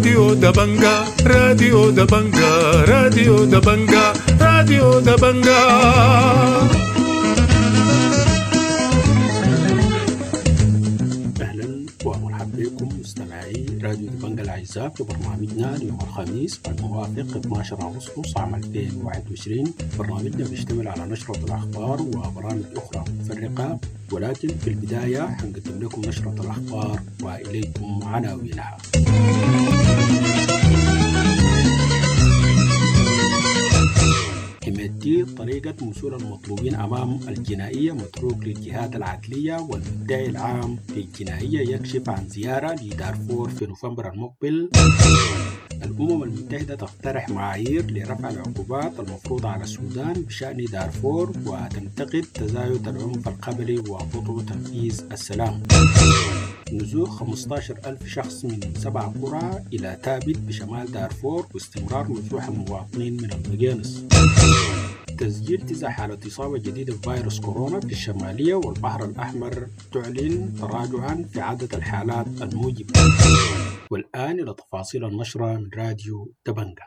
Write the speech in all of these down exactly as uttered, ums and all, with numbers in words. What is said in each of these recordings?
راديو دبنجا، راديو دبنجا، راديو دبنجا، راديو دبنجا. أهلا ومرحبا بكم مستمعي راديو دبنجا الأعزاء في برنامجنا ليوم الخميس الموافق اثني عشر أغسطس عام ألفين وواحد وعشرين. برنامجنا بيشتمل على نشرة الأخبار وبرامج أخرى متفرقة، ولكن في البداية حنقدم لكم نشرة الأخبار وإليكم عناوينها. حميدتي: طريقة مثول المطلوبين أمام الجنائية متروك للجهات العدلية، والمدعي العام للجنائية يكشف عن زيارة لدارفور في نوفمبر المقبل. الأمم المتحدة تقترح معايير لرفع العقوبات المفروضة على السودان بشأن دارفور، وتنتقد تزايد العنف القبلي وبطء تنفيذ السلام. نزوح خمسة عشر ألف شخص من سبع قرى إلى تابت بشمال دارفور، واستمرار نزوح المواطنين من المقينص. تسجيل تسع حالات إصابة جديدة بفيروس كورونا في الشمالية، والبحر الأحمر تعلن تراجعا في عدد الحالات الموجبة. والآن إلى تفاصيل النشرة من راديو دبنجا.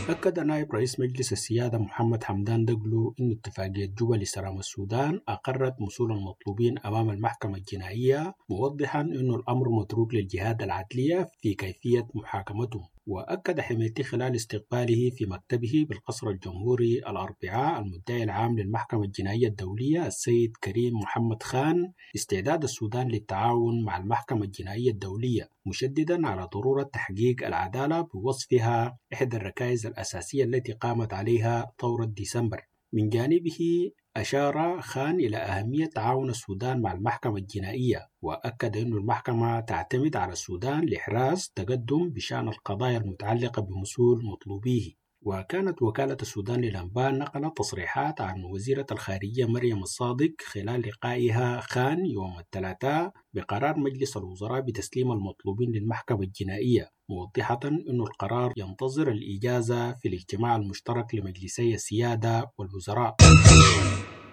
أكد نائب رئيس مجلس السيادة محمد حمدان دقلو أن اتفاقية جوبا لسلام السودان أقرت مثول المطلوبين أمام المحكمة الجنائية، موضحا أن الأمر متروك للجهات العدلية في كيفية محاكمتهم. وأكد حميدتي خلال استقباله في مكتبه بالقصر الجمهوري الأربعاء المدعي العام للمحكمة الجنائية الدولية السيد كريم محمد خان استعداد السودان للتعاون مع المحكمة الجنائية الدولية، مشددا على ضرورة تحقيق العدالة بوصفها إحدى الركائز الأساسية التي قامت عليها ثورة ديسمبر. من جانبه، أشار خان إلى أهمية تعاون السودان مع المحكمة الجنائية، وأكد أن المحكمة تعتمد على السودان لإحراز تقدم بشأن القضايا المتعلقة بمثول مطلوبيه. وكانت وكالة السودان للأنباء نقلت تصريحات عن وزيرة الخارجية مريم الصادق خلال لقائها خان يوم الثلاثاء بقرار مجلس الوزراء بتسليم المطلوبين للمحكمة الجنائية، موضحة أن القرار ينتظر الإجازة في الاجتماع المشترك لمجلسي السيادة والوزراء.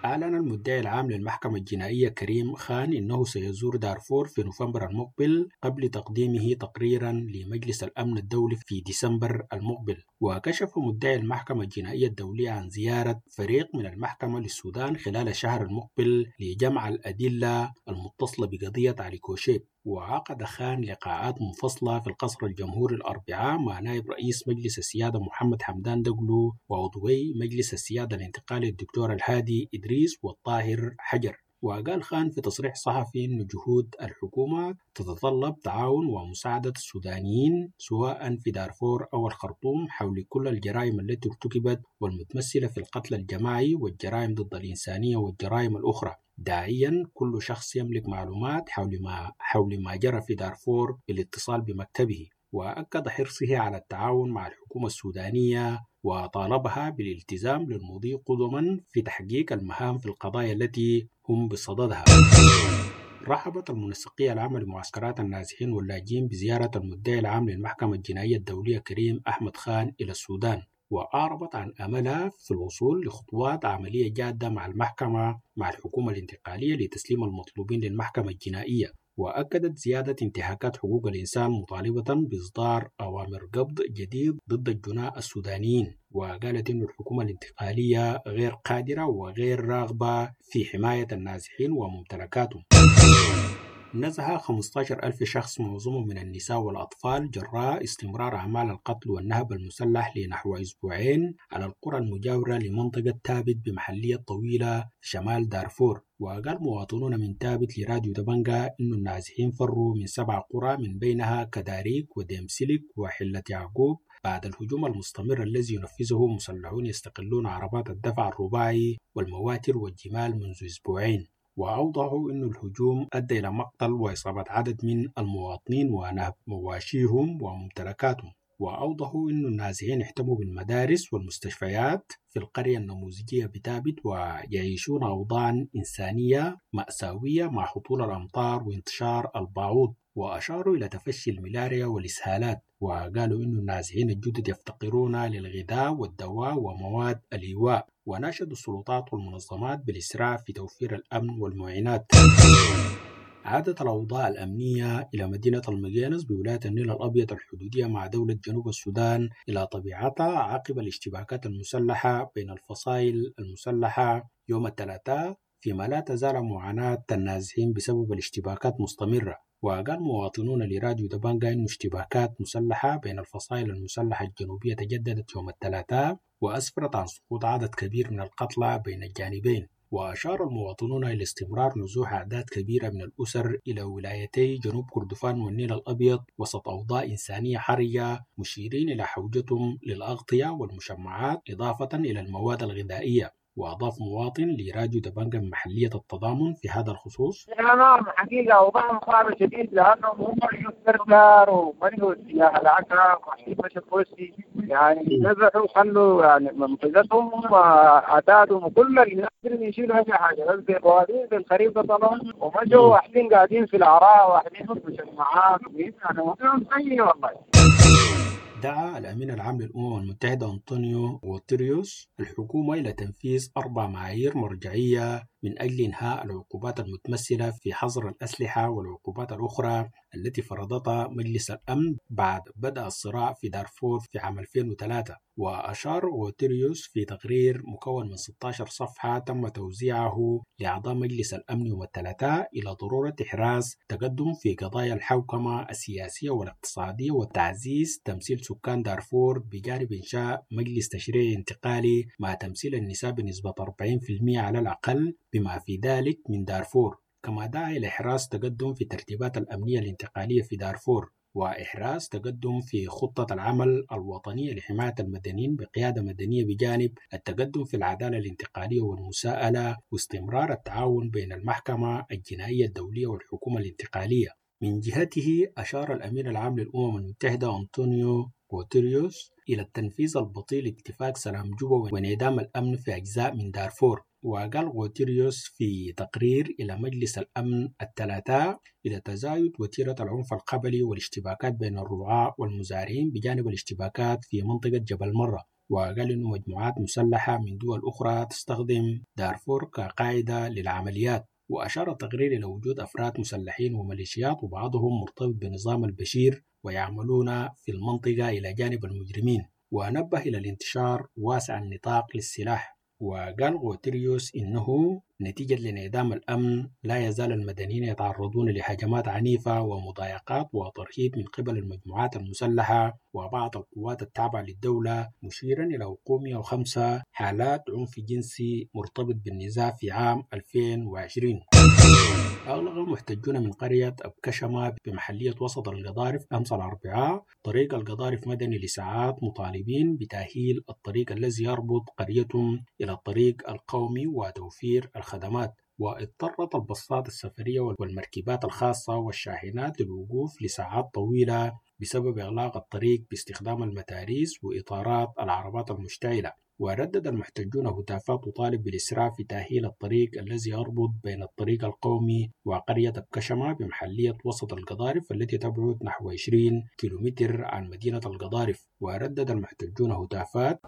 أعلن المدعي العام للمحكمة الجنائية كريم خان أنه سيزور دارفور في نوفمبر المقبل قبل تقديمه تقريرا لمجلس الأمن الدولي في ديسمبر المقبل. وكشف مدعي المحكمة الجنائية الدولية عن زيارة فريق من المحكمة للسودان خلال الشهر المقبل لجمع الأدلة المتصلة بقضية علي كوشيب. وعقد خان لقاءات منفصلة في القصر الجمهوري الأربعاء مع نائب رئيس مجلس السيادة محمد حمدان دقلو وعضوي مجلس السيادة الانتقالي الدكتور الهادي إدريس والطاهر حجر. وقال خان في تصريح صحفي أن جهود الحكومة تتطلب تعاون ومساعدة السودانيين سواء في دارفور أو الخرطوم حول كل الجرائم التي ارتكبت والمتمثلة في القتل الجماعي والجرائم ضد الإنسانية والجرائم الأخرى، داعيا كل شخص يملك معلومات حول ما حول ما جرى في دارفور بالاتصال بمكتبه. وأكد حرصه على التعاون مع الحكومة السودانية وطالبها بالالتزام للمضي قدما في تحقيق المهام في القضايا التي هم بصددها. رحبت المنسقية العامة لمعسكرات النازحين واللاجئين بزيارة المدعي العام للمحكمة الجنائية الدولية كريم أحمد خان إلى السودان، وأعربت عن أملها في الوصول لخطوات عملية جادة مع المحكمة مع الحكومة الانتقالية لتسليم المطلوبين للمحكمة الجنائية. وأكدت زيادة انتهاكات حقوق الإنسان، مطالبة بإصدار أوامر قبض جديد ضد الجناة السودانيين. وقالت أن الحكومة الانتقالية غير قادرة وغير راغبة في حماية النازحين وممتلكاتهم. نزح خمسة عشر ألف شخص معظمهم من النساء والأطفال جراء استمرار أعمال القتل والنهب المسلح لنحو أسبوعين على القرى المجاورة لمنطقة تابت بمحلية طويلة شمال دارفور. وقال مواطنون من تابت لراديو دبنجا إن النازحين فروا من سبع قرى من بينها كداريك وديمسلك وحلة يعقوب بعد الهجوم المستمر الذي ينفذه مسلحون يستقلون عربات الدفع الرباعي والمواتر والجمال منذ أسبوعين. وأوضحوا أن الهجوم أدى إلى مقتل وإصابة عدد من المواطنين ونهب مواشيهم وممتلكاتهم. وأوضحوا أن النازحين احتموا بالمدارس والمستشفيات في القرية النموذجية بتابت، ويعيشون أوضاعا إنسانية مأساوية مع هطول الأمطار وانتشار البعوض. وأشاروا إلى تفشي الملاريا والإسهالات، وقالوا إنه النازحين الجدد يفتقرون للغذاء والدواء ومواد الإيواء، وناشدوا السلطات والمنظمات بالإسراع في توفير الأمن والمعينات. عادت الأوضاع الأمنية إلى مدينة المقينص بولاية النيل الأبيض الحدودية مع دولة جنوب السودان إلى طبيعتها عقب الاشتباكات المسلحة بين الفصائل المسلحة يوم الثلاثاء، فيما لا تزال معاناة النازحين بسبب الاشتباكات مستمرة. وقال مواطنون لراديو دبنقا إنه اشتباكات مسلحة بين الفصائل المسلحة الجنوبية تجددت يوم الثلاثاء وأسفرت عن سقوط عدد كبير من القتلى بين الجانبين. وأشار المواطنون إلى استمرار نزوح أعداد كبيرة من الأسر إلى ولايتي جنوب كردفان والنيل الأبيض وسط أوضاع إنسانية حرجة، مشيرين إلى حوجتهم للأغطية والمشمعات إضافة إلى المواد الغذائية. وأضاف مواطن لراديو دبنقا محلية التضامن في هذا الخصوص: نعم حقيقة أوضاعهم صعبة شديد، لأنهم هم السرسار ومرقوا اتجاه العكا ومشوا كوستي، يعني نزحوا وخلوا يعني منطقتهم وعتادهم وكل اللي قادرين يشيلوا أي حاجة، بس بوادين بالخريف ده طبعا، ومشوا واحدين قاعدين في العراء واحدين في المجمعات، يعني وضعهم سيء والله. دعا الأمين العام للأمم المتحدة أنطونيو غوتيريوس الحكومة إلى تنفيذ أربع معايير مرجعية من أجل إنهاء العقوبات المتمثلة في حظر الأسلحة والعقوبات الأخرى التي فرضتها مجلس الأمن بعد بدأ الصراع في دارفور في عام ألفين وثلاثة. وأشار غوتيريوس في تقرير مكون من ستة عشر صفحة تم توزيعه لأعضاء مجلس الأمن يوم الثلاثاء إلى ضرورة إحراز تقدم في قضايا الحوكمة السياسية والاقتصادية وتعزيز تمثيل سكان دارفور بجانب إنشاء مجلس تشريعي انتقالي مع تمثيل النساء بنسبة أربعين بالمئة على الأقل بما في ذلك من دارفور. كما دعا إلى إحراز تقدم في الترتيبات الأمنية الانتقالية في دارفور وإحراز تقدم في خطة العمل الوطنية لحماية المدنيين بقيادة مدنية بجانب التقدم في العدالة الانتقالية والمساءلة واستمرار التعاون بين المحكمة الجنائية الدولية والحكومة الانتقالية. من جهته أشار الأمين العام للأمم المتحدة أنطونيو غوتيريوس إلى التنفيذ البطيء لاتفاق سلام جوبا وانعدام الأمن في أجزاء من دارفور. وقال غوتيريوس في تقرير إلى مجلس الأمن الثلاثاء إلى تزايد وتيرة العنف القبلي والاشتباكات بين الرعاة والمزارعين بجانب الاشتباكات في منطقة جبل مرة. وقال إنه مجموعات مسلحة من دول أخرى تستخدم دارفور كقاعدة للعمليات. وأشار التقرير إلى وجود أفراد مسلحين وميليشيات وبعضهم مرتبط بنظام البشير ويعملون في المنطقة إلى جانب المجرمين، ونبه إلى الانتشار واسع النطاق للسلاح. وقال غوتيريوس إنه نتيجة لانعدام الأمن لا يزال المدنيين يتعرضون لهجمات عنيفة ومضايقات وترهيب من قبل المجموعات المسلحة وبعض القوات التابعة للدولة، مشيرا إلى وقوع مئة وخمسة حالات عنف جنسي مرتبط بالنزاع في عام ألفين وعشرين. أغلق المحتجون من قرية أبكشمة بمحلية وسط القضارف أمس الأربعاء طريق القضارف مدني لساعات مطالبين بتأهيل الطريق الذي يربط قريتهم إلى الطريق القومي وتوفير الخدمات. واضطرت الباصات السفرية والمركبات الخاصة والشاحنات للوقوف لساعات طويلة بسبب إغلاق الطريق باستخدام المتاريس وإطارات العربات المشتعلة. وردد المحتجون هتافات تطالب بالإسراع في تأهيل الطريق الذي يربط بين الطريق القومي وقرية أبكشمة بمحلية وسط القضارف التي تبعد نحو عشرين كيلومتر عن مدينة القضارف. وردد المحتجون هتافات: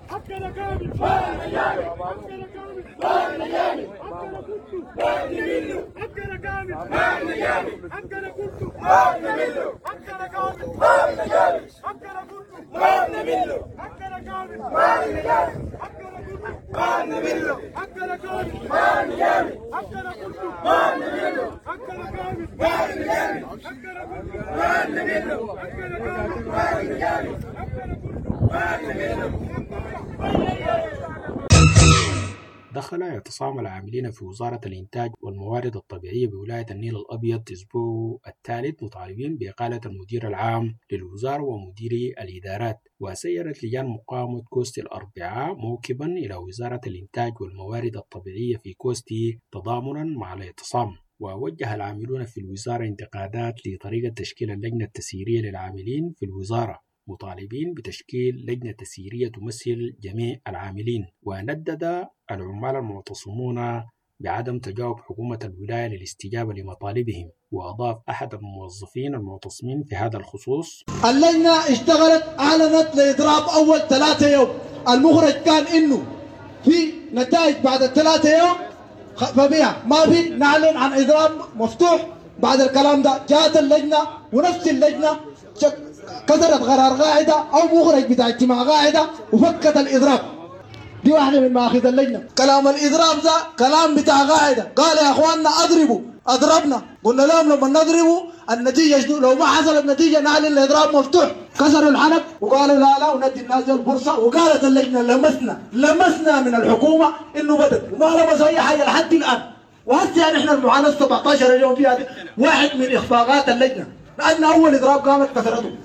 دخل اعتصام العاملين في وزارة الإنتاج والموارد الطبيعية بولاية النيل الأبيض الأسبوع الثالث مطالبين بإقالة المدير العام للوزارة ومديري الإدارات. وسيرت لجان مقاومة كوستي الأربعاء موكبا إلى وزارة الإنتاج والموارد الطبيعية في كوستي تضامنا مع الاعتصام. ووجه العاملون في الوزارة انتقادات لطريقة تشكيل اللجنة التسييرية للعاملين في الوزارة، مطالبين بتشكيل لجنة تسييرية تمثل جميع العاملين. وندد العمال المعتصمون بعدم تجاوب حكومة الولاية للاستجابة لمطالبهم. وأضاف أحد الموظفين المعتصمين في هذا الخصوص: اللجنة اشتغلت أعلنت لإضراب أول ثلاثة يوم، المخرج كان إنه في نتائج بعد الثلاثة يوم فبيع ما في، نعلن عن إضراب مفتوح. بعد الكلام ده جاءت اللجنة ونفس اللجنة كسرت قرار قاعدة أو مخرج بتاع اجتماع قاعدة وفكت الإضراب. دي واحدة من مآخذ اللجنة. كلام الإضراب ده كلام بتاع قاعدة، قال يا أخواننا أضربوا، أضربنا، قلنا لهم لما نضربوا النتيجة شنو؟ لو ما حصلت نتيجة نعلن الإضراب مفتوح. كسروا الحنك وقالوا لا لا وندي الناس الفرصة. وقالت اللجنة لمسنا لمسنا من الحكومة إنه بدت وما لمسوا أي حاجة لحد الآن. وهسه نحن المعاناة سبعة عشر يوم فيها واحد من إخفاقات اللجنة، لأن أول إضراب قامت كسرته.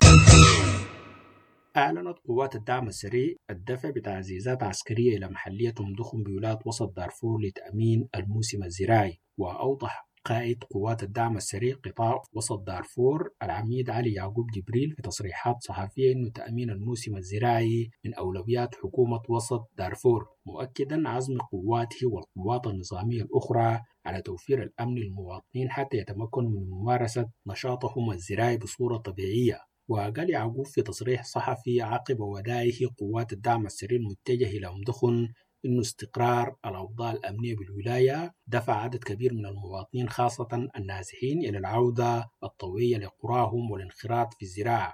أعلنت قوات الدعم السريع الدفع بتعزيزات عسكرية إلى محلية أم دخن بولاية وسط دارفور لتأمين الموسم الزراعي. وأوضح قائد قوات الدعم السريع قطاع وسط دارفور العميد علي يعقوب جبريل في تصريحات صحفية أن تأمين الموسم الزراعي من أولويات حكومة وسط دارفور، مؤكدا عزم قواته والقوات النظامية الأخرى على توفير الأمن للمواطنين حتى يتمكنوا من ممارسة نشاطهم الزراعي بصورة طبيعية. وقال يعقوب في تصريح صحفي عقب وداعه قوات الدعم السريع المتجه إلى أم دخن إنه استقرار الأوضاع الأمنية بالولاية دفع عدد كبير من المواطنين خاصة النازحين إلى العودة الطوعية لقراهم والانخراط في الزراعة.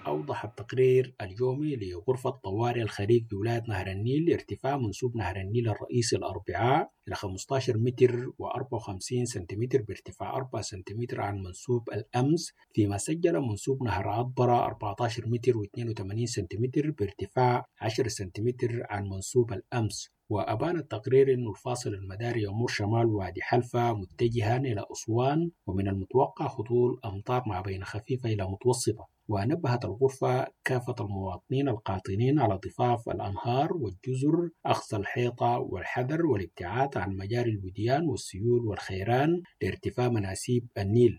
أوضح التقرير اليومي لغرفة طوارئ الخريف بولاية نهر النيل ارتفاع منسوب نهر النيل الرئيسي الأربعاء إلى خمسة عشر متر وأربعة وخمسين سنتيمتر بارتفاع أربعة سنتيمتر عن منسوب الأمس، فيما سجل منسوب نهر عطبرة أربعة عشر متر واثنين وثمانين سنتيمتر بارتفاع عشرة سنتيمتر عن منسوب الأمس. وأبان التقرير أن الفاصل المداري يمر شمال وادي حلفا متجها إلى أسوان، ومن المتوقع هطول أمطار ما بين خفيفة إلى متوسطة. ونبهت الغرفة كافة المواطنين القاطنين على ضفاف الأنهار والجزر أخذ الحيطة والحذر والابتعاد عن مجاري الوديان والسيول والخيران لارتفاع مناسيب النيل.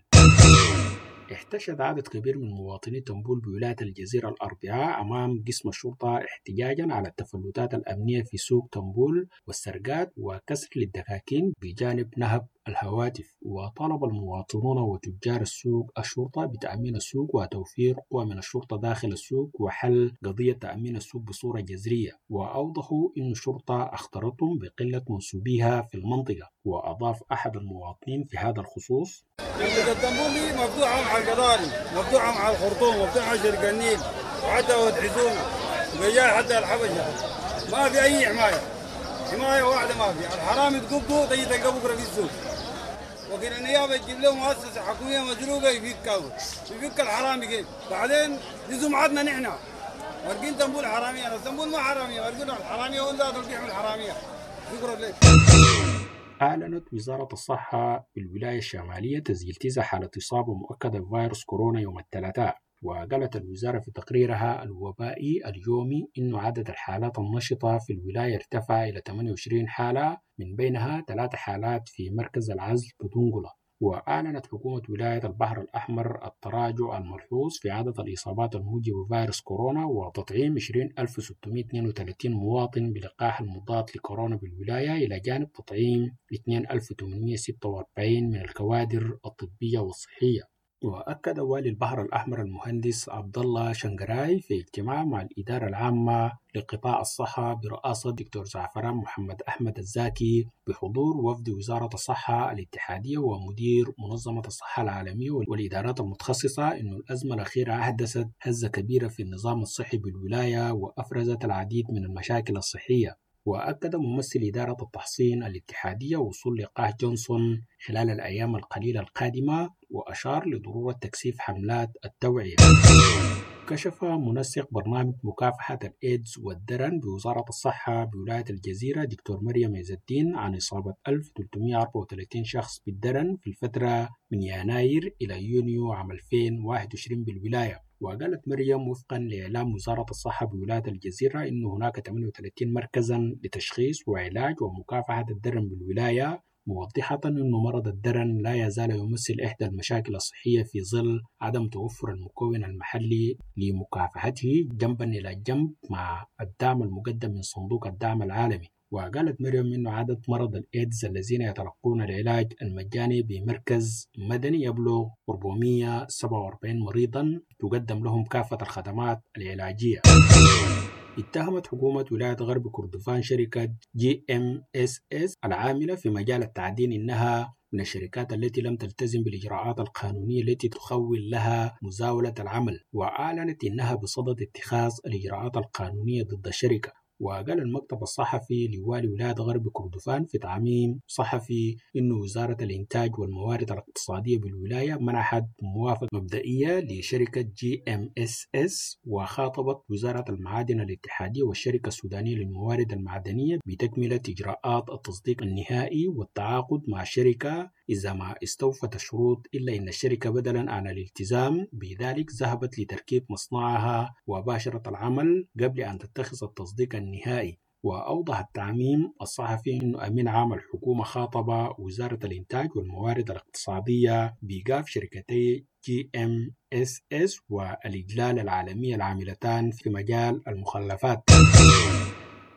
احتشد عدد كبير من مواطني تنبول بولاية الجزيرة الأربعاء أمام قسم الشرطة احتجاجا على التفلتات الأمنية في سوق تنبول والسرقات وكسر للدكاكين بجانب نهب الهواتف. وطالب المواطنون وتجار السوق الشرطة بتأمين السوق وتوفير قوى من الشرطة داخل السوق وحل قضية تأمين السوق بصورة جذرية. وأوضحوا أن الشرطة أخطرتهم بقلة منسوبيها في المنطقة. وأضاف أحد المواطنين في هذا الخصوص: التنبول دي مفتوحة مع القضاري، مفتوحة مع الخرطوم، مفتوحة مع شرق النيل، وحتى وتحزونا وبيجاي حتى الحبشة، ما في أي حماية، حماية واحدة ما في. الحرامي تقبضه تجي تلقاه بكرة في السوق، وكيل النيابة تجيب له مؤسسة حكومية مزروقة يفكها، يفك الحرامي كيف؟ بعدين دي سمعتنا نحن، مرقين تنبول حرامية، التنبول ما حرامية، مرقين الحرامية هو ذاته اللي بيحمي الحرامية. شكرا لك. أعلنت وزارة الصحة بالولاية الشمالية تسجيل تسع حالة إصابة مؤكدة بفيروس كورونا يوم الثلاثاء. وقالت الوزارة في تقريرها الوبائي اليومي إنه عدد الحالات النشطة في الولاية ارتفع إلى ثمانية وعشرين حالة، من بينها ثلاث حالات في مركز العزل بدنقلة. وأعلنت حكومة ولاية البحر الأحمر التراجع الملحوظ في عدد الإصابات الموجبة بفيروس كورونا وتطعيم عشرين ألف وستمائة واثنين وثلاثين مواطن بلقاح المضاد لكورونا بالولاية، إلى جانب تطعيم اثنين ألف وثمانمائة وستة وأربعين من الكوادر الطبية والصحية. وأكد والي البحر الأحمر المهندس عبد الله شنقراي في اجتماع مع الإدارة العامة لقطاع الصحة برئاسة دكتور زعفران محمد أحمد الزاكي بحضور وفد وزارة الصحة الاتحادية ومدير منظمة الصحة العالمية والإدارات المتخصصة أن الأزمة الأخيرة أحدثت هزة كبيرة في النظام الصحي بالولاية وأفرزت العديد من المشاكل الصحية. وأكد ممثل إدارة التحصين الاتحادية وصول لقاح جونسون خلال الأيام القليلة القادمة، وأشار لضرورة تكثيف حملات التوعية. كشف منسق برنامج مكافحة الإيدز والدرن بوزارة الصحة بولاية الجزيرة دكتور مريم عز الدين عن إصابة ألف وثلاثمائة وأربعة وثلاثين شخص بالدرن في الفترة من يناير إلى يونيو عام ألفين وواحد وعشرين بالولاية. وقالت مريم وفقا لإعلام وزارة الصحة بولاية الجزيرة إن هناك ثمانية وثلاثين مركزا لتشخيص وعلاج ومكافحة الدرن بالولاية، موضحة أن مرض الدرن لا يزال يمثل إحدى المشاكل الصحية في ظل عدم توفر المكون المحلي لمكافحته، جنبا إلى جنب مع الدعم المقدم من صندوق الدعم العالمي. وقالت مريم أن عدد مرضى الإيدز الذين يتلقون العلاج المجاني بمركز مدني يبلغ أربعمئة وسبعة وأربعين مريضا تقدم لهم كافة الخدمات العلاجية. اتهمت حكومة ولاية غرب كردفان شركة جي ام اس اس العاملة في مجال التعدين إنها من الشركات التي لم تلتزم بالإجراءات القانونية التي تخول لها مزاولة العمل، وأعلنت إنها بصدد اتخاذ الإجراءات القانونية ضد الشركة. وقال المكتب الصحفي لوالي ولاية غرب كردفان في تعميم صحفي إنه وزارة الإنتاج والموارد الاقتصادية بالولاية منحت موافقة مبدئية لشركة جي ام اس اس، وخاطبت وزارة المعادن الاتحادية والشركة السودانية للموارد المعدنية بتكملة إجراءات التصديق النهائي والتعاقد مع الشركة إذا ما استوفت الشروط، إلا إن الشركة بدلا عن الالتزام بذلك ذهبت لتركيب مصنعها وباشرت العمل قبل أن تتخذ التصديق النهائي. وأوضح التعميم الصحفي أن أمين عام الحكومة خاطب وزارة الإنتاج والموارد الاقتصادية بإيقاف شركتي جي ام اس اس والإجلال العالمية العاملتان في مجال المخلفات.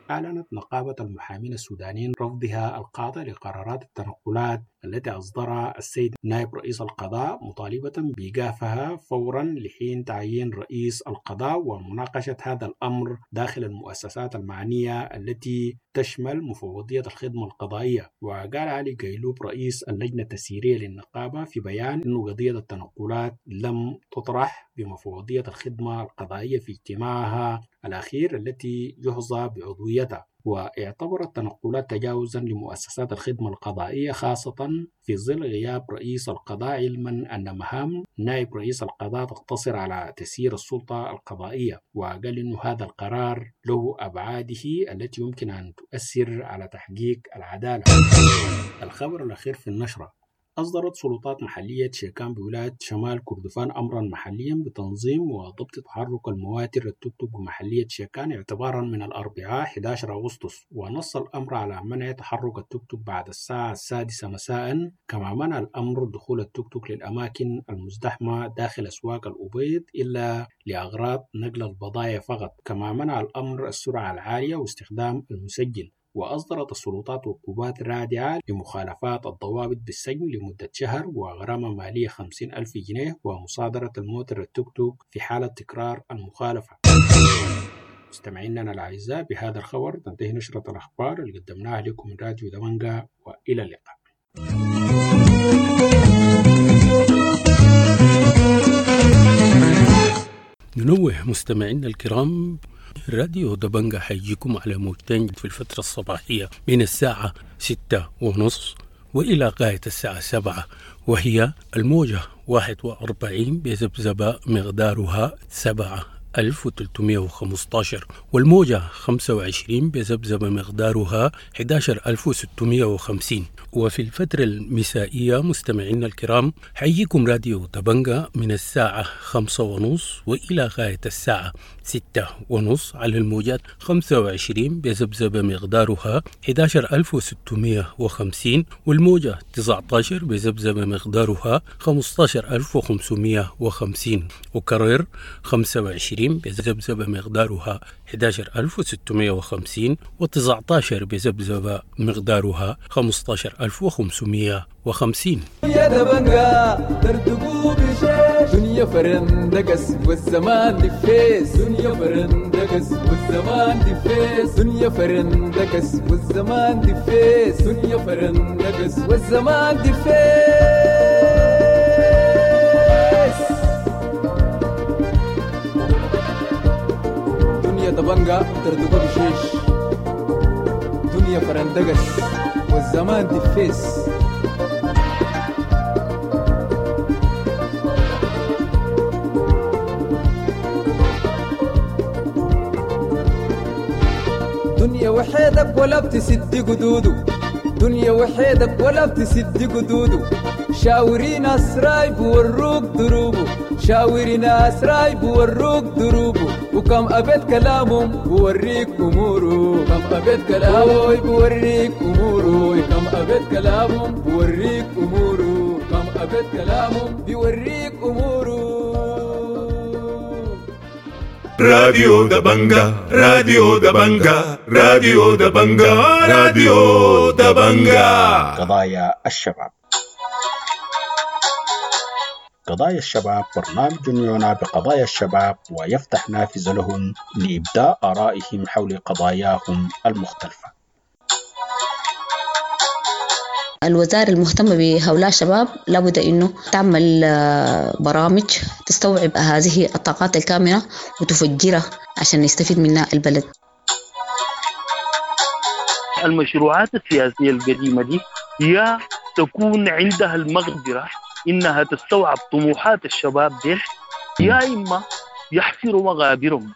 أعلنت نقابة المحامين السودانيين رفضها القاطع لقرارات التنقلات التي أصدرها السيد نائب رئيس القضاء، مطالبة بإيقافها فورا لحين تعيين رئيس القضاء ومناقشة هذا الأمر داخل المؤسسات المعنية التي تشمل مفوضية الخدمة القضائية. وقال علي قيلوب رئيس اللجنة التسييرية للنقابة في بيان أن قضية التنقلات لم تطرح بمفوضية الخدمة القضائية في اجتماعها الأخير التي يحظى بعضويتها، واعتبر التنقلات تجاوزا لمؤسسات الخدمة القضائية خاصة في ظل غياب رئيس القضاء، علما أن مهام نائب رئيس القضاء تقتصر على تسيير السلطة القضائية. وقال إنه هذا القرار له أبعاده التي يمكن أن تؤثر على تحقيق العدالة. الخبر الأخير في النشرة: أصدرت سلطات محلية شيكان بولاية شمال كردفان أمرا محليا بتنظيم وضبط تحرك المواتر التوك بمحلية شيكان اعتبارا من الأربعاء أحد عشر أغسطس، ونص الأمر على منع تحرك التوك بعد الساعة السادسة مساء، كما منع الأمر دخول التوك للأماكن المزدحمة داخل أسواق الأبيض إلا لأغراض نقل البضائع فقط، كما منع الأمر السرعة العالية واستخدام المسجل. وأصدرت السلطات عقوبات رادعة لمخالفات الضوابط بالسجن لمدة شهر وغرامة مالية خمسين ألف جنيه ومصادرة الموتر التوك توك في حالة تكرار المخالفة. مستمعينا الأعزاء، بهذا الخبر تنتهي نشرة الأخبار اللي قدمناها لكم من راديو دبنجا، وإلى اللقاء. ننوه مستمعينا الكرام، راديو دبنجا حيجيكم على موجتين في الفترة الصباحية من الساعة ستة ونص وإلى غاية الساعة سبعة، وهي الموجة واحد وأربعين بذبذبة مقدارها سبعة ألف وثلاثمائة وخمسة عشر، والموجة خمسة وعشرين بذبذبة مقدارها أحد عشر ألف وستمائة وخمسين. وفي الفترة المسائية مستمعينا الكرام حييكم راديو دبنجا من الساعة خمسة ونص وإلى غاية الساعة ستة ونص على الموجات خمسة وعشرين بذبذبة مقدارها أحد عشر ألف وستمائة وخمسين، والموجة تسعة عشر بذبذبة مقدارها خمسة عشر ألف وخمسمائة وخمسين، وكرر خمسة وعشرين بذبذبة مقدارها أحد عشر ألف وستمائة وخمسين، وتسعة عشر بذبذبة مقدارها خمسة عشر ألف وخمسمائة وخمسين. يا دبنجا ترتقوا بشيش، دنيا فرندقس والزمان دفيس، دنيا فرندقس والزمان دفيس، دنيا فرندقس والزمان دفيس، دنيا فرندقس والزمان دفيس. دنيا دبنجا ترتقوا بشيش، دنيا فرندقس والزمان دفيس. دنيا وحيدك ولا بتسد قدوده، دنيا وحيدك ولا بتسد قدوده، شاوري ناس رايب وروك دروبه، شاوري ناس رايب وروك دروبه، وكم أبيت كلامهم بوريك أموره، كم أبيت كلامه بوريك أموره، كم أبيت كلامهم بوريك أموره، كم أبيت كلامهم بوريك أموره. راديو دبنجا، راديو دبنجا، راديو دبنجا، راديو دبنجا. قضايا الشباب. قضايا الشباب برنامج يعنى بقضايا الشباب ويفتح نافذة لهم لإبداء آرائهم حول قضاياهم المختلفة. الوزارة المهتمة بهؤلاء الشباب لابد أنه تعمل برامج تستوعب هذه الطاقات الكامنة وتفجرها عشان يستفيد منها البلد. المشروعات السياسية القديمة دي يا تكون عندها المقدرة إنها تستوعب طموحات الشباب دي، يا إما يحفروا مغابرهم.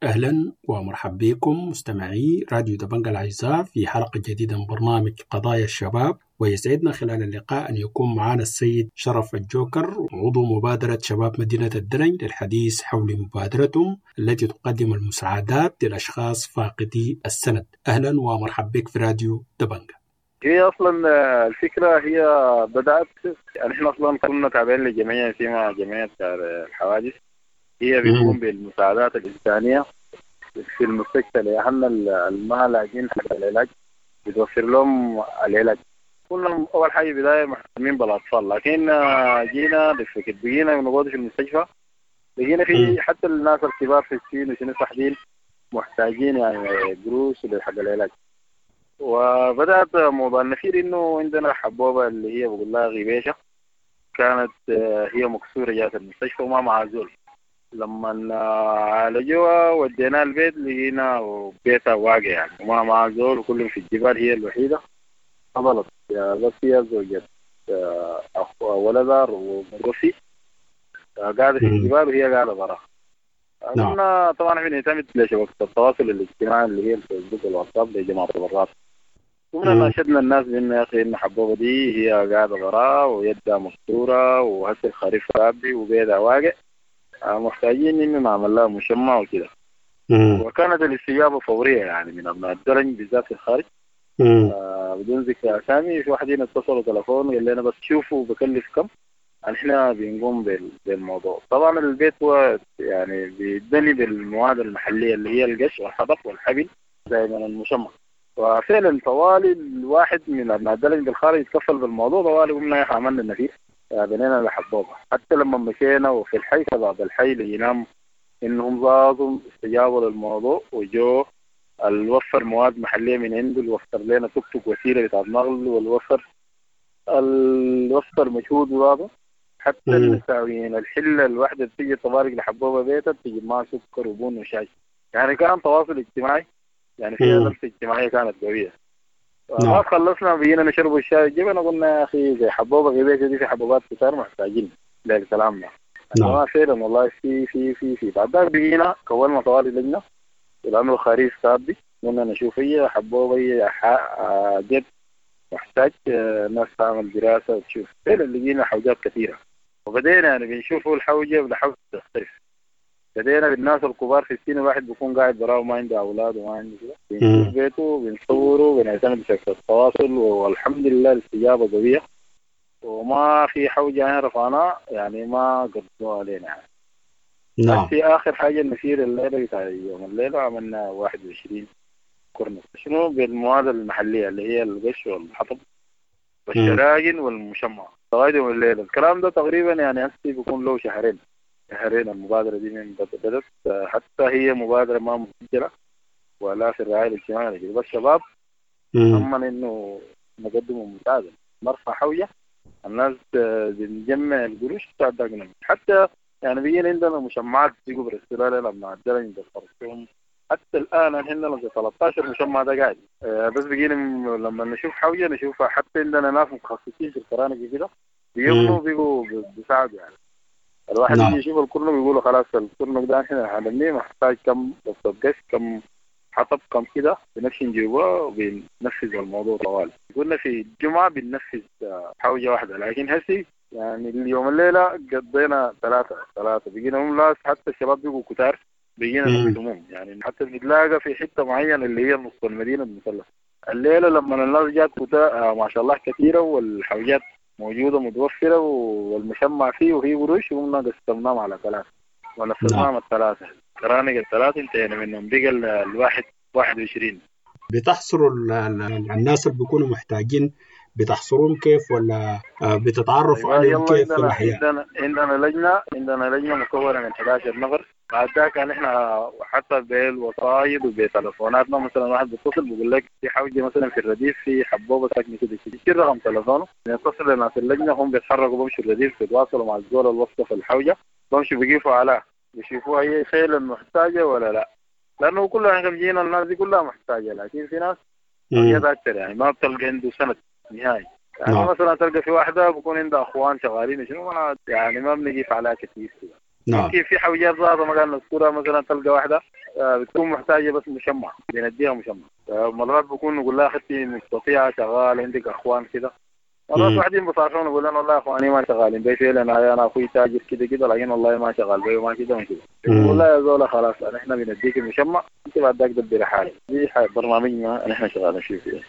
أهلا ومرحبا بكم مستمعي راديو دبنجا الأعزاء في حلقة جديدة من برنامج قضايا الشباب، ويسعدنا خلال اللقاء أن يكون معنا السيد شرف الجوكر عضو مبادرة شباب مدينة الدرنج للحديث حول مبادرتهم التي تقدم المساعدات للأشخاص فاقدي السند. أهلا ومرحبا بك في راديو دبنجا. هي أصلا الفكرة هي بدأت، نحن أصلا كنا تابعين لجمعية اسمها جمعية الحوادث، هي بتقوم بالمساعدات الإنسانية في المستشفى لأهلنا اللي لاقين حق العلاج، بتوفر لهم العلاج. كنا أول حاجة بداية مهتمين بالأطفال، لكن جينا بفكرة بقينا نقعد في المستشفى لقينا في حتى الناس الكبار في السن وشنو صاحبين محتاجين يعني قروش لحق العلاج. وبدأت موضوع النفير إنه عندنا حبوبة اللي هي بقول لها غبيشة، كانت هي مكسورة جات المستشفى وما معها زول. لما عالجوها وديناها البيت لقينا بيتها واقع يعني وما معها زول وكلهم في الجبال، هي الوحيدة فضلت بس هي زوجة أخو ولدها ومتوفي قاعدة في الجبال وهي قاعدة برا. قلنا طبعا احنا بنعتمد لشبكة التواصل الاجتماعي اللي هي الفيسبوك والواتساب لجماعة التبرعات. قمنا ناشدنا الناس بأن يا أخي إن حبوبة دي هي قاعدة برا ويدها مكسورة وهسه الخريف رابي وبيتها واقع، محتاجين إنه نعمل لها مشمع وكده. وكانت الاستجابة فورية يعني من أبناء الدرج بالذات في الخارج. آه بدون ذكر أسامي، في واحدين اتصلوا تلفون قال لنا بس شوفوا بكلف كم، احنا بنقوم بالموضوع. طبعا البيت هو يعني بيتبني بالمواد المحلية اللي هي القش والحطب والحبل زي من المشمع. وفعلا طوالي الواحد من أبناء الدرج بالخارج يتكفل بالموضوع. طوالي قمنا عملنا النفير بنينا لحبوبة. حتى لما مشينا وفي الحي شباب الحي لقيناهم انهم ظاظوا استجابوا للموضوع وجو الوفر مواد محلية من عنده، الوفر لنا توك توك وسيلة بتاع النقل، والوفر الوفر مجهود وهذا. حتى النساويين الحلة الواحدة بتيجي تبارك لحبوبة بيتها بتجي معها سكر وبن وشاي. يعني كان تواصل اجتماعي، يعني في لمسة اجتماعية كانت قوية. ما خلصنا بقينا نشرب الشاي الجبن، قلنا يا أخي زي حبوبة غبيشة دي في حبوبات كتار محتاجين للكلام ده. نعم فعلا والله في في في في بعد ذلك بقينا كونا طوالي لجنة لأنه الخريف سابي، قلنا نشوف هي حبوبة هي جد محتاج ناس تعمل دراسة وتشوف. فعلا لقينا حوجات كثيرة وبدينا يعني بنشوفوا الحوجة بالحوجة تختلف. بدينا بالناس الكبار في السن، الواحد بيكون قاعد براه وما عنده أولاد وما عنده كده، بنشوف بيته بنصوره بنعتمد بشكل التواصل، والحمد لله الاستجابة قوية وما في حوجة يعني رفعناها يعني ما قدموها علينا يعني. نعم. في آخر حاجة النفير الليلة بتاع يوم الليلة عملنا واحد وعشرين كورنر شنو بالمواد المحلية اللي هي القش والحطب والشراجن والمشمع لغاية يوم الليلة. الكلام ده تقريبا يعني هسه بيكون له شهرين شهرين المبادرة دي من بدأت، حتى هي مبادرة ما مسجلة ولا في الرعاية الاجتماعية، بس شباب أما إنه نقدموا مساعدة نرفع حوجة الناس بنجمع القروش بتاعتنا. حتى يعني بيجينا عندنا مشمعات بيجوا بالاستلال لما عدلنا بالخرطوم. حتى الآن احنا لنا ثلاثة عشر مشمع ده قاعد، بس بيجينا لما نشوف حوجة نشوفها. حتى عندنا ناس متخصصين في الكرانة كده بيجوا بيجوا بيساعدوا يعني. الواحد يجي يشوف الكرنك بيقولوا خلاص الكرنك ده احنا هنبنيه محتاج كم بس كم حطب كم كده، بنمشي نجيبه وبننفذ الموضوع طوال. قلنا في الجمعة بننفذ حوجة واحدة، لكن هسي يعني اليوم الليلة قضينا ثلاثة ثلاثة بقينا هم لاس. حتى الشباب بيقوا كتار بقينا نقسمهم يعني، حتى بنتلاقى في حتة معينة اللي هي نص المدينة المثلث. الليلة لما الناس جات كتار ما شاء الله كثيرة والحوجات موجودة متوفرة والمشمع فيه وهي قروش، وقمنا قسمناهم على ثلاثة. ونفذناهم الثلاثة، كرانق الثلاثة انتهينا منهم، بقى الواحد واحد وعشرين. بتحصروا الناس اللي بيكونوا محتاجين، بتحصرون كيف ولا بتتعرفوا عليهم كيف في الحياة؟ عندنا عندنا لجنة عندنا لجنة مكونة من احد عشر نفر. بعد ذاك نحن حتى بالوسايط وبتلفوناتنا، مثلا واحد بيتصل بيقول لك في حوجه مثلا في الرديف في حبوبه ساكنة كده كده، يشيل رقم تلفونه، يتصل لناس اللجنة، هم بيتحركوا بمشوا الرديف بيتواصلوا مع الزول الوصفة في الحوجه، بمشوا بيقيفوا عليها بيشوفوها هي فعلا محتاجه ولا لا، لانه كل احنا جينا الناس دي كلها محتاجه، لكن في ناس اكثر يعني ما بتلقى عنده سند نهائي. يعني نعم. مثلا تلقى في واحدة بكون عندها اخوان شغالين شنو، ما يعني ما بنقيف عليها كثير كده. نعم. يمكن في حوجات ذاتها ما قال نذكرها، مثلا تلقى واحدة بتكون محتاجه بس مشمع، بنديها مشمع. مرات بكون نقول لها اختي مستطيعه شغال عندك اخوان كده، مرات واحدين بصارحون يقول لنا والله اخواني ما شغالين بي فعلا، انا انا اخوي تاجر كده كده، لكن والله ما شغال بي وما كده وما كده. يقول لا يا زولا خلاص نحن بنديك المشمع، انت بعد ذاك دبري حالك. دي برنامجنا نحن شغالين فيه.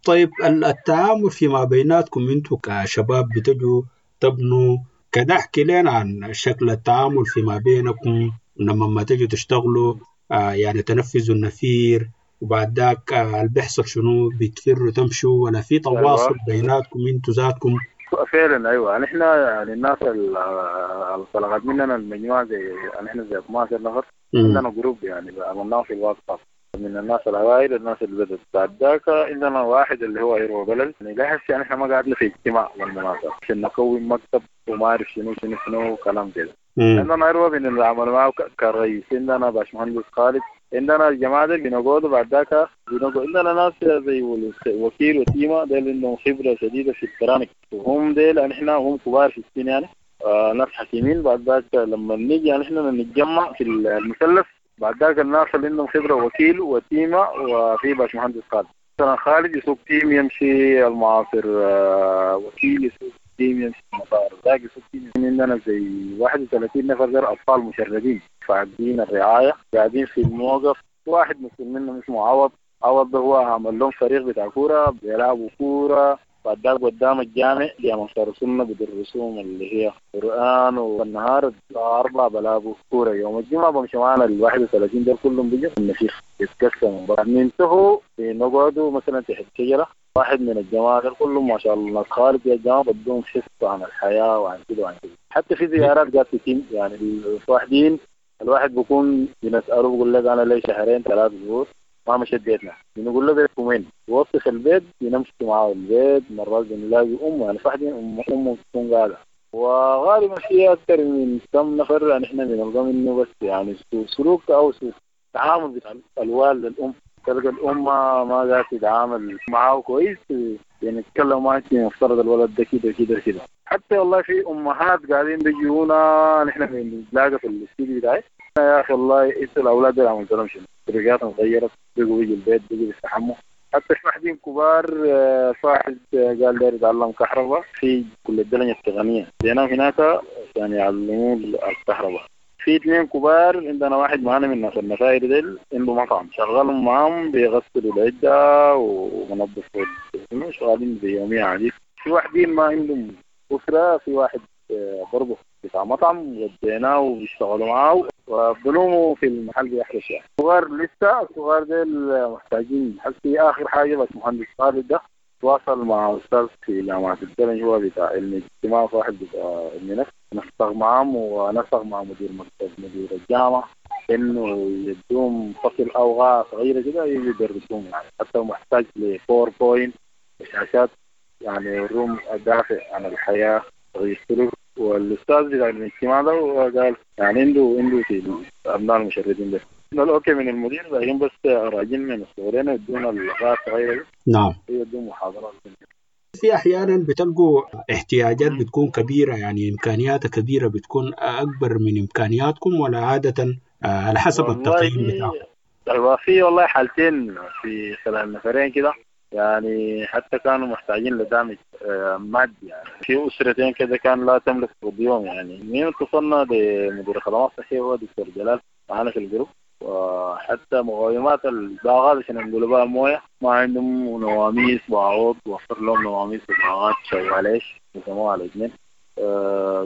طيب التعامل فيما بيناتكم انتوا كشباب بتجوا تبنوا كده، احكي لنا عن شكل التعامل فيما بينكم لما ما تجوا تشتغلوا، آه يعني تنفذوا النفير وبعد ذاك آه اللي بيحصل شنو، بتفروا تمشوا ولا في تواصل بيناتكم انتوا ذاتكم؟ فعلا ايوه، نحن يعني الناس اللي طلعت مننا المجموعة زي نحن زي اثنا عشر نفر، عندنا group يعني عملناه في الواتساب من الناس الاوائل الناس اللي بدت. بعد ذاك عندنا واحد اللي هو ايرو بلل، يعني لا هسه يعني احنا ما قعدنا في اجتماع والمناسبة عشان نكون مكتب وما اعرف شنو شنو شنو وكلام كده. عندنا ايرو بنعمل معه كرئيس، عندنا باشمهندس خالد، عندنا الجماعة دي بنقعدوا بعد ذاك بنقعد. عندنا ناس زي وكيل وتيمه ديل عندهم خبره شديدة في الكرانك، وهم ديل نحن هم كبار في السن يعني آه ناس حكيمين. بعد ذاك لما نيجي يعني احنا نتجمع في المثلث، بعد ذاك الناس اللي عندهم خبره وكيل وتيمه وفي باشمهندس خالد. مثلا خالد يسوق team يمشي المعاصر، وكيل يسوق team يمشي المطار، ذاك يسوق team. عندنا زي واحد وثلاثين نفر غير اطفال مشردين فاقدين الرعاية قاعدين في الموقف. واحد مسؤول منهم اسمه عوض، عوض ده هو عمل لهم فريق بتاع كورة بيلعبوا كورة. بعد ذاك قدام الجامع جامع انصار السنة بدرسوهم اللي هي قران، والنهار الساعة أربعة بلعبوا كورة. يوم الجمعة بمشي معانا ال واحد وثلاثين دول كلهم بيجوا النفيخ يتقسموا. بعد ننتهوا بنقعدوا مثلا تحت شجرة، واحد من الجماعة دول كلهم ما شاء الله ناس خالد يا جماعة بدهم حصة عن الحياة وعن كده وعن كده. حتى في زيارات قاعدة تتم يعني الواحدين الواحد بيكون بنساله بيقول لك انا لي شهرين ثلاث شهور ما مشيت بيتنا، بنقول له بيتكم وين؟ بيوصف البيت، بنمشي معاه البيت. مرات بنلاقي امه يعني فاحدين امه بتكون قاعدة، وغالبا في اكثر من كم نفر يعني احنا بنلقى منه بس يعني سلوك او سوء تعامل بتاع الوالد للام، تلقى الام ما قاعدة تتعامل معاه كويس، يعني تتكلم معاه مفترض الولد ده كده كده كده. حتى والله في امهات قاعدين بيجونا نحن بنلاقي في الاستديو بتاعي، يا اخي والله انتوا الاولاد دول عملت لهم شنو؟ طريقاتهم اتغيرت، بقوا بيجوا البيت بقوا بيستحموا. حتى في واحدين كبار صاحب قال داير يتعلم كهرباء في كلية الدلنجة التقنية، ديناهم هناك عشان يعلموه الكهرباء. في اثنين كبار عندنا، واحد معانا من ناس النفاير ديل عنده مطعم شغالهم معاهم بيغسلوا العدة ومنظفوا شغالين بيومية عادي. في واحدين ما عندهم أسرة، في واحد برضه بتاع مطعم وديناه وبيشتغلوا معاه وبنوموا في المحل بيحرش يعني. الصغار لسه الصغار ديل محتاجين. حسي آخر حاجة بس مهندس خالد ده تواصل مع أستاذ في جامعة الدلنج هو بتاع علم اجتماع واحد بتاع علم نفس، نسق معهم ونسق مع مدير مكتب مدير الجامعة إنه يدوم فصل أو غاية صغيرة كده يدرسوهم يعني. حتى محتاج ل PowerPoint وشاشات يعني يوروهم الدافع عن الحياة تغيير السلوك. والاستاذ بتاع الاجتماع ده قال يعني عنده عنده في ابناء المشردين ده okay من المدير، لكن بس راجل من الصغيرين يدونا الغاية الصغيرة دي. نعم يدوم محاضرات. في احيانا بتلقوا احتياجات بتكون كبيرة، يعني امكانياتها كبيرة بتكون اكبر من امكانياتكم، ولا عادة على حسب التقييم بتاعكم؟ ايوه في والله حالتين في خلال نفرين كده يعني حتى كانوا محتاجين لدعم مادي يعني. في اسرتين كده كان لا تملك اليوم يعني. مين اتصلنا بمدير الخدمات الصحية هو دكتور جلال معانا في ال group، وحتى مقاومات الباغات عشان نقولوا بقى مويه ما عندهم نواميس باعوض، وفر لهم نواميس وباغات شواليش قسموها على اثنين،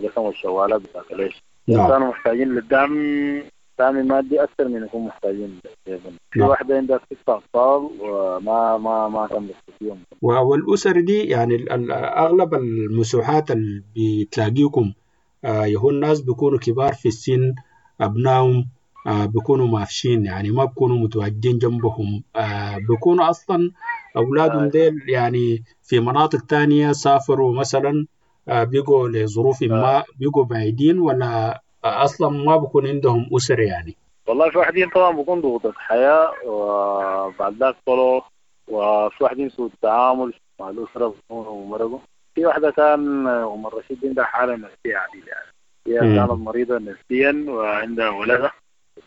قسموا الشوالات بتاعت ليش. نعم. كانوا محتاجين للدعم دعم مادي اكثر من يكون محتاجين للبنى. في نعم. واحدة عندها ست اطفال وما ما ما كان بيستفيهم. والأسر دي يعني ال- ال- أغلب المسوحات اللي بتلاقيكم آه، يهو الناس بيكونوا كبار في السن، أبنائهم آه، بيكونوا مافشين، يعني ما بيكونوا متواجدين جنبهم، آه، بيكونوا أصلا أولادهم آه. ديل يعني في مناطق تانية سافروا مثلا، آه، بيقوا لظروف ما بيقوا بعيدين، ولا أصلا ما بيكون عندهم أسر يعني. والله في واحدين طبعا بيكون ضغوط حياة وبعد ذاك طلعوا، وفي واحدين سوء التعامل مع الأسرة بيكونوا مرقوا. في واحدة كان أم الرشيد عندها حالة نفسية عديلة يعني، هي مم. كانت مريضة نفسيا وعندها ولدها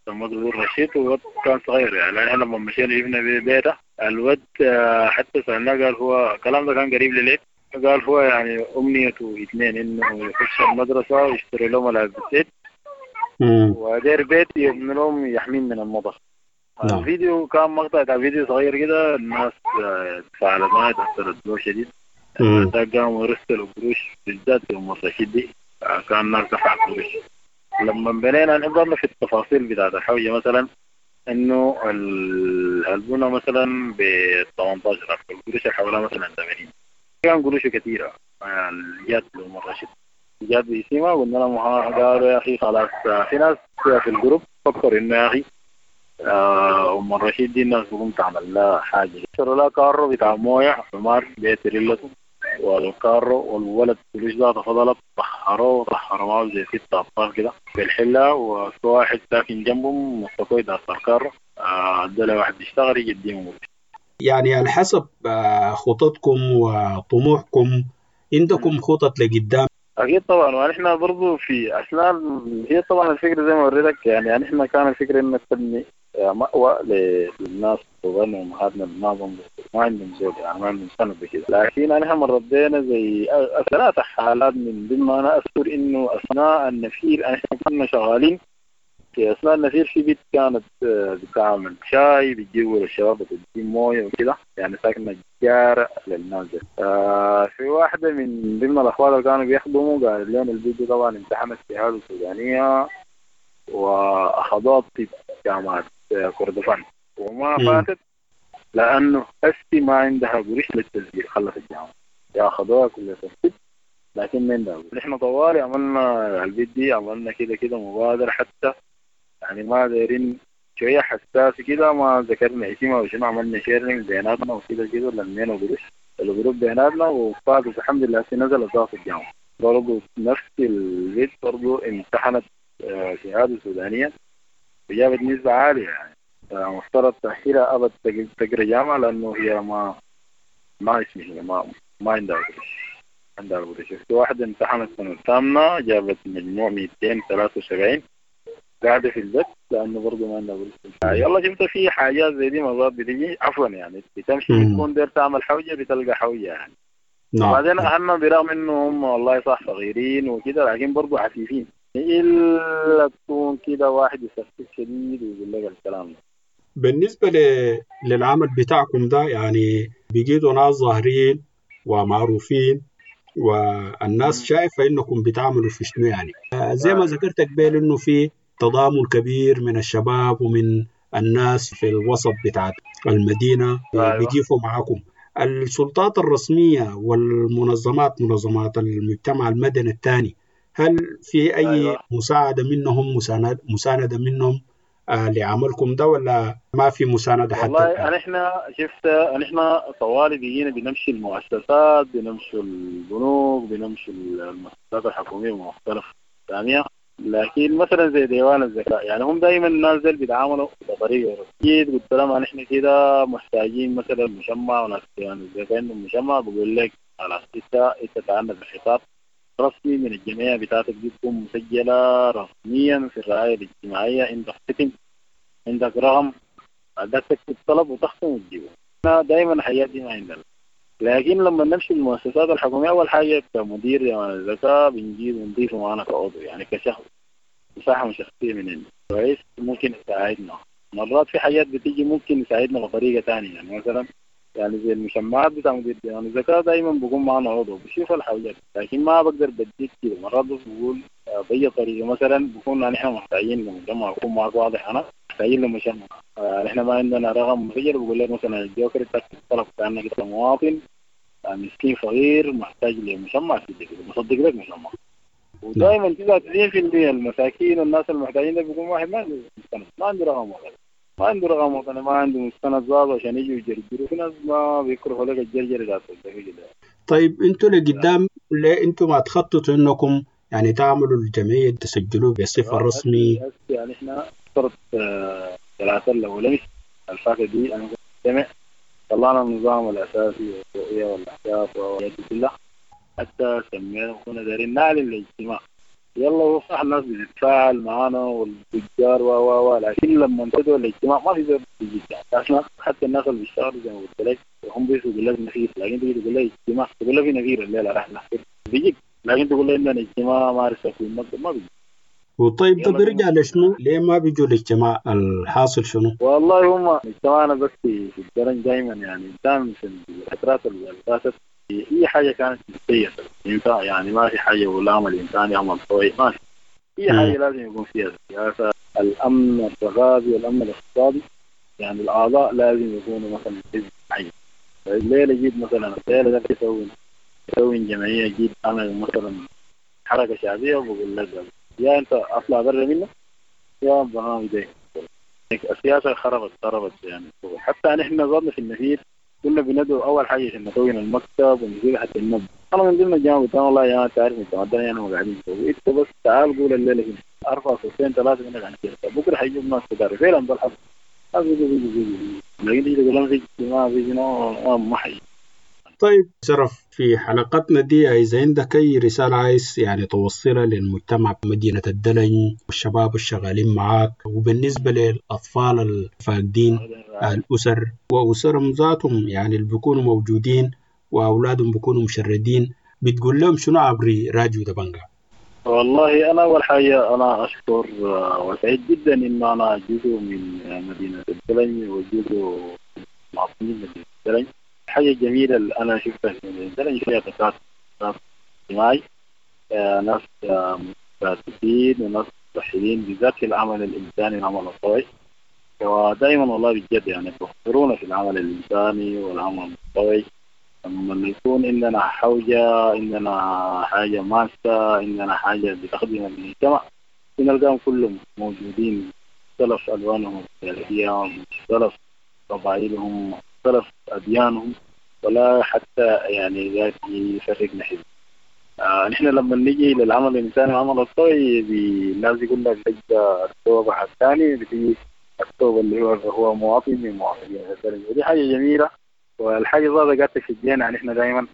سمته ذو الرشيد، والولد كان صغير يعني. احنا لما مشينا جبنا بيته الولد آه، حتى سألناه قال هو الكلام ده كان قريب لليل، قال هو يعني أمنيته اثنين، إنه يخش المدرسة ويشتري لهم ملابس مم. ودير بيت يبني لهم يحمين من المطر. نعم. الفيديو كان مقطع بتاع فيديو صغير كده، الناس آه، تفاعلت معاه، تأثرت به شديد. مم. ده قاموا يرسلوا قروش بالذات يوم الرشيد دي، آه، كان الناس دفعت قروش. لما بنينا نحضرنا في التفاصيل بتاعت الحوجة مثلا، انه ال- البنى مثلا ب ثمانية عشر ألف، القروش اللي حولها مثلا ثمانين، كان قروشه كثيرة. آه، جات لأم الرشيد جات باسمها، قلنا لهم ها، قالوا يا اخي خلاص. آه، في ناس في الجروب فكروا انه يا اخي آه، ام الرشيد دي الناس بقوم تعمل لها حاجة، اشتروا لها كارو بتاع مويه حمار بيت ريلته والكارو، والولد فلوس ذاته فضلت طهروه وطهروا معه زي ست اطفال كده في الحلة، وفي واحد ساكن جنبهم مسكوه يدافع الكارو، آه، ادى له واحد يشتغل يجي يديهم. يعني على حسب آه، خططكم وطموحكم، عندكم خطط لقدام؟ اكيد طبعا، ونحن برضو في اثناء ال- هي طبعا الفكرة زي ما وريتك يعني، يعني احنا كان الفكرة انك تبني آه، مأوى ل- للناس وغنى امهاتنا اللي ما عندهم ما عندهم زوج يعني ما عندهم سند كده. لكن نحن مرينا زي أ- ثلاث حالات من ضمن انا اذكر انه اثناء النفير احنا كنا شغالين في اثناء النفير في بيت كانت آه، بتعمل شاي بتجيبوا للشباب بتدي مويه وكده يعني، ساكنة جارة للناس دي. آه في واحدة من ضمن الاخوات اللي كانوا بيخدموا قالت لنا البيت دي طبعا امتحنت شهادة سودانيه واخذوها طب جامعه آه، كردفان وما مم. فاتت، لانه هسي ما عندها قروش للتسجيل، خلصت الجامعة ياخذوها كليه الطب لكن ما عندها قروش. نحن طوالي عملنا البيت دي، عملنا كده كده مبادرة حتى يعني ما دايرين شوية حساس كده، ما ذكرنا اسمها وشنو، عملنا sharing بيناتنا وكده كده لمينا قروش الجروب بيناتنا وفاتت الحمد لله. هسي نزلت ضغط الجامعة برضه نفس البيت برضه امتحنت آه، شهادة سودانية وجابت نسبة عالية يعني، آه، مفترض تأهيلها أبد تق- تقرا جامعة لأنه هي ما ما اسمه ما ما عندها قروش، عندها قروش. في واحدة امتحنت سنة الثامنة جابت مجموع مئتين وثلاثة وسبعين، قاعدة في البيت لأنه برضه ما عندها قروش. يلا شفت في حاجات زي دي مرات بتيجي عفوا يعني بتمشي مم. بتكون داير تعمل حوجة بتلقى حوجة يعني. نعم. وبعدين أهلنا برغم إنه هم والله صح صغيرين وكده لكن برضه عفيفين، إلا تكون كده واحد يسفك شديد ويقول لك الكلام ده. بالنسبة ل- للعمل بتاعكم ده، يعني بقيتوا ناس ظاهرين ومعروفين والناس شايفة إنكم بتعملوا في شنو يعني. آه، زي ما ذكرت قبل إنه في تضامن كبير من الشباب ومن الناس في الوسط بتاع المدينة أيوة. بيقفوا معاكم. السلطات الرسمية والمنظمات، منظمات المجتمع المدني الثاني، هل في أي أيوة. مساعدة منهم، مساند مساندة منهم آه، لعملكم ده، ولا ما في مساندة حتى والله الآن؟ نحن شفت نحن طوالي بقينا بنمشي المؤسسات، بنمشي البنوك، بنمشي المؤسسات الحكومية المختلفة الثانية، لكن مثلا زي ديوان الزكاة يعني هم دائما الناس ديل بيتعاملوا بطريقة جيت قلت لهم نحن كده محتاجين مثلا مشمع، وناس ديوان الزكاة عندهم مشمع، بقول لك خلاص انت انت تعال بالخطاب رسمي من الجمعية بتاعتك دي تكون مسجلة رسميا في الرعاية الاجتماعية، عندك ختم، عندك رقم، بعدك تكتب طلب وتختم وتجيبه. احنا دائما الحاجات دي ما عندنا، لكن لما نمشي المؤسسات الحكومية أول حاجة كمدير ديوان الزكاة بنجيب ونضيفه معنا كعضو يعني كشخص مساحة شخصية من عنده كويس ممكن يساعدنا. مرات في حاجات بتيجي ممكن يساعدنا بطريقة ثانية يعني مثلا يعني زي المشمعات بتاع مدير ديوان الزكاة دائما بقوم معنا عضو بشوف الحاجات، لكن ما بقدر بديك كده. مرات بس بقول باي طريقه. مثلا بكون نحن محتاجين لمجمع، بكون معك واضح انا محتاجين لمجمع، نحن ما عندنا رقم مسجل، بقول لك مثلا الجوكر تطلب كانك انت مواطن مسكين فقير محتاج لمجمع مصدق لك مجمع. ودائما تسعة وتسعين بالمية المساكين والناس المحتاجين ده بيكون واحد ما عنده مستند، ما عنده رقم وطني، ما عنده رقم وطني، ما عنده مستند ظابط عشان يجوا يجرجروا. في ناس ما بيكرهوا لك الجرجرة ذات. طيب انتوا لقدام ليه انتوا ما تخططوا انكم يعني تعملوا الجمعية تسجلوه بصفة رسمي؟ يعني احنا صرت ثلاثة الأولى الفاتة دي انا كنت طلعنا النظام الأساسي والرؤية والأهداف والحاجات دي كلها، حتى سمينا وكنا دايرين نعلن الاجتماع. يلا هو صح الناس بتتفاعل معانا والتجار و و و لكن لما انتدوا الاجتماع ما في زول بيجي. اصلا حتى الناس اللي بيشتغلوا زي ما قلت لك هم بيجوا يقول لك نفير، لكن تيجي تقول له اجتماع تقول له في نفير الليلة راح نحفر بيجيك، لكن تقول له عندنا اجتماع ما عرفت في المكتب ما بيجي. وطيب ده بيرجع لشنو؟ ليه ما بيجوا الاجتماع؟ الحاصل شنو؟ والله هم اجتماعنا بس في الدرن دائما، يعني دائما في الفترات اللي فاتت اي حاجة كانت مسيسه ينفع، يعني ما في حاجة ولا عمل انساني عمل طوعي، ما في اي حاجة لازم يكون فيها سياسة. الامن الرغابي والامن الاقتصادي، يعني الاعضاء لازم يكونوا مثلا حزب معين. الليلة جيت مثلا الليلة ده يسوي يسوي جمعية، جيت انا مثلا حركة شعبية وبقول لك يا انت اطلع برا منه يا برنامج ده. السياسة خربت خربت يعني. حتى نحن ظلنا في النفير كنا بندعو اول حاجة عشان نكون المكتب ونجيب حتى النبض. انا من ضمن الجامعة قلت والله يا تعرف انت ما انا قاعدين نسوي، انت بس تعال قول الليلة هنا اربع صوتين ثلاثة منك عن كده، بكره حيجيب ناس كتار فعلا ده الحظ. لكن تيجي تقول لهم في اجتماع في شنو ما حي. طيب شرف، في حلقتنا دي إذا عندك أي رسالة عايز يعني توصلها للمجتمع مدينة الدلنج والشباب الشغالين معاك، وبالنسبة للأطفال الفاقدين الأسر وأسرهم ذاتهم يعني اللي بيكونوا موجودين وأولادهم بيكونوا مشردين، بتقول لهم شنو عبر راديو دبنجا؟ والله أنا أول حاجة أنا أشكر وسعيد جدا إن أنا جزء من مدينة الدلنج وجزء معطين مدينة الدلنج. الحاجة الجميلة اللي أنا شفتها في مدينة الدلنج فيها تكاتف اجتماعي، ناس متكاتفين وناس متوحدين بالذات في العمل الإنساني والعمل الطوعي. ودائما والله بجد يعني بيخبرونا في العمل الإنساني والعمل الطوعي لما يكون عندنا حوجة، عندنا حاجة ماسة، عندنا حاجة بتخدم المجتمع، بنلقاهم كلهم موجودين، مختلف ألوانهم السياسية، مختلف قبائلهم، مختلف أديانهم، ولا حتى يعني ذات يفرقنا حزب. آه نحن لما نيجي للعمل الإنساني والعمل الطوعي الناس يقول لك بتجي التوبة الثاني، بتجي التوبة اللي هو هو مواطن من مواطنين الدرجة، ودي حاجة جميلة. والحاجة ذاتها قاعدة تشجعنا، يعني احنا دائما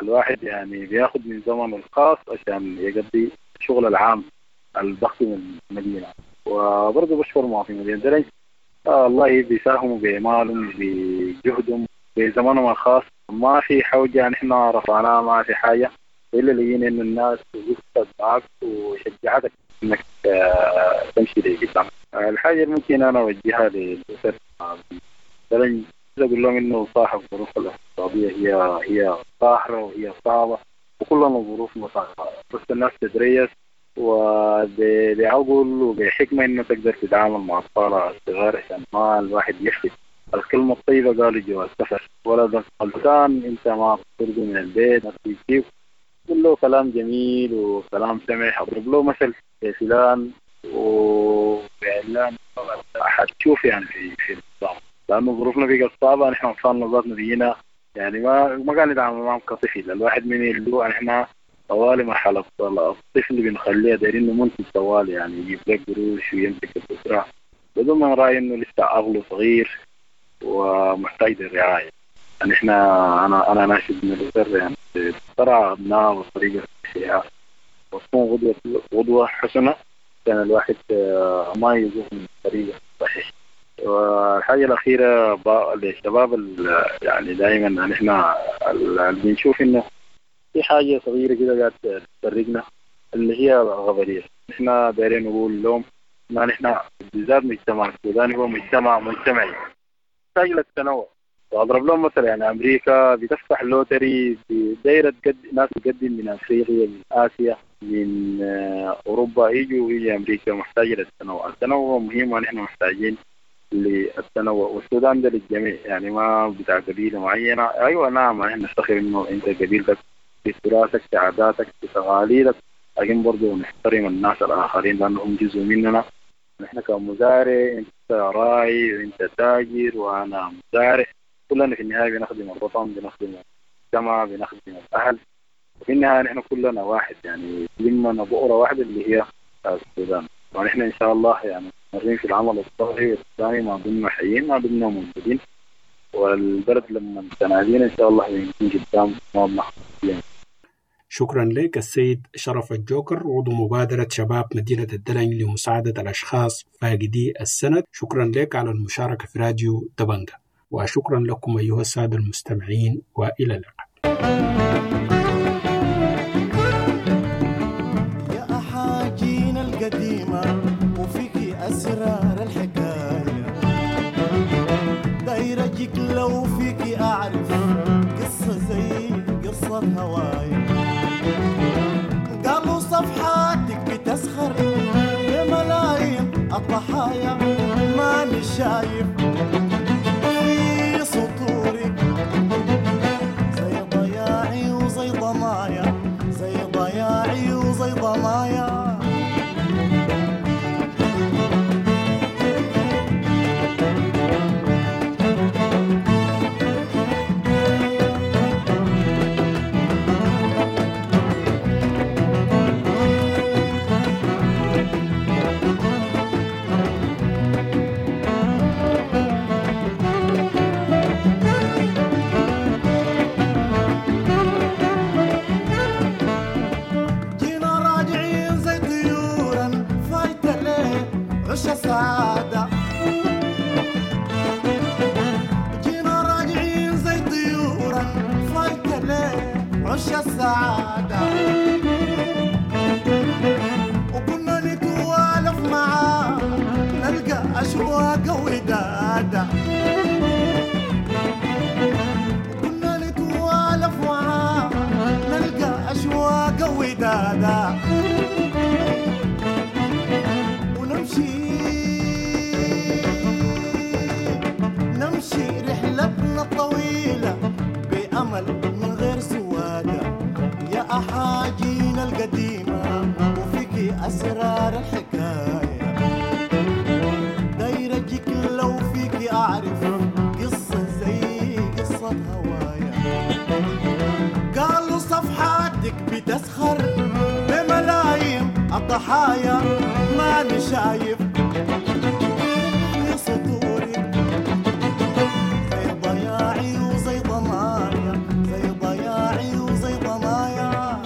الواحد يعني بياخد من زمنه الخاص عشان يقضي الشغل العام الضخم من المدينة. وبرضه بشكر مواطنين مدينة الدلنج، آه الله بيساهموا بمالهم بجهدهم بزمنهم الخاص. ما في حوجة نحن رفعناها، ما في حاجة إلا لقينا إنه الناس وقفت معك وشجعتك إنك آه تمشي لقدام. آه الحاجة اللي ممكن أنا أوجهها للأسر الدلنج أقول لهم إنه صاحب الظروف الاقتصادية هي هي قاهرة وهي صعبة وكلنا ظروف مصعبة، بس الناس تتريث وبعقل وبحكمة إنه تقدر تتعامل مع أطفالها الصغار عشان ما الواحد يفلت. الكلمة الطيبة قالوا جواز سفر، ولدك غلطان أنت ما بترضي من البيت ما بتجيب، قول له كلام جميل وكلام سمح، أضرب له مثل فلان وعلان حتشوف يعني في في النظام، لأنه ظروفنا بقت صعبة. نحن أطفالنا ذاتنا بينا يعني ما ما قاعد نتعامل معهم كطفل، الواحد من اللي نحن طوالي مرحلة الطفل بنخليه دايرين إنه منتج طوالي، يعني يجيب لك قروش ويمسك الأسرة بدون ما نراعي إنه لسه عقله صغير ومحتاج للرعاية. يعني إحنا أنا أنا ناشد من الأسر يعني ترعى أبناء بطريقة صحيحة وتكون غدوة غدوة حسنة عشان الواحد ما يزوغ من الطريقة الصحيحة. والحاجة الأخيرة للشباب يعني دائما نحن بنشوف إنه في حاجة صغيرة كده قاعد تفرقنا اللي هي الغبرية. نحن دايرين نقول لهم ما نحن بالذات مجتمع السوداني هو مجتمع مجتمعي محتاج للتنوع. وأضرب لهم مثلا يعني أمريكا بتفتح lottery في دايرة تقدم ناس تقدم من أفريقيا من آسيا، من أوروبا يجوا ويجي أمريكا، محتاجة للتنوع. التنوع مهم ونحن محتاجين للتنوع، والسودان ده للجميع، يعني ما بتاع قبيلة معينة. أيوة نعم نحن نفتخر إنه أنت قبيلتك في تراثك في عاداتك في تقاليدك، لكن برضو نحترم الناس الآخرين لأنهم جزء مننا. نحن كمزارع، أنت راعي وأنت تاجر وأنا مزارع، كلنا في النهاية بنخدم الوطن، بنخدم المجتمع، بنخدم الأهل، وفي النهاية نحن كلنا واحد، يعني لمنا بؤرة واحدة اللي هي السودان. ونحن إن شاء الله يعني مستمرين في العمل الصحي السوداني، ما دمنا حيين ما دمنا موجودين، والبلد لما تنادينا إن شاء الله بنكون قدام ما بنحصل. شكرا لك السيد شرف الجوكر، عضو مبادرة شباب مدينة الدلنج لمساعدة الأشخاص فاقدي السند. شكرا لك على المشاركة في راديو دبنجة، وشكرا لكم أيها السادة المستمعين، وإلى اللقاء. يا أحاجينا القديمة وفيك أسرار الحكاية، دايرة جيك لو فيك أعرف قصة زي قصة هوايا. قالوا صفحاتك بتسخر بملايين الضحايا، ماني شايف في سطورك زي ضياعي وزي ضمايا، زي ضياعي وزي ضمايا. سعادة جينا راجعين زي طيورا فايتة ليه عش السعادة، وكنا نتوالف معاه نلقى أشواق ودادة، وكنا نتوالف معاه نلقى أشواق ودادة، ونمشي نمشي رحلتنا الطويلة بأمل من غير سوادة. يا أحاجينا القديمة وفيك أسرار الحكاية، دايرة جيك لو فيك أعرف قصة زي قصة هوايا. قالوا صفحاتك بتسخر بملايين الضحايا، ماني شايف في سطورك زي ضياعي وزي ضمايا، زي ضياعي وزي ضمايا.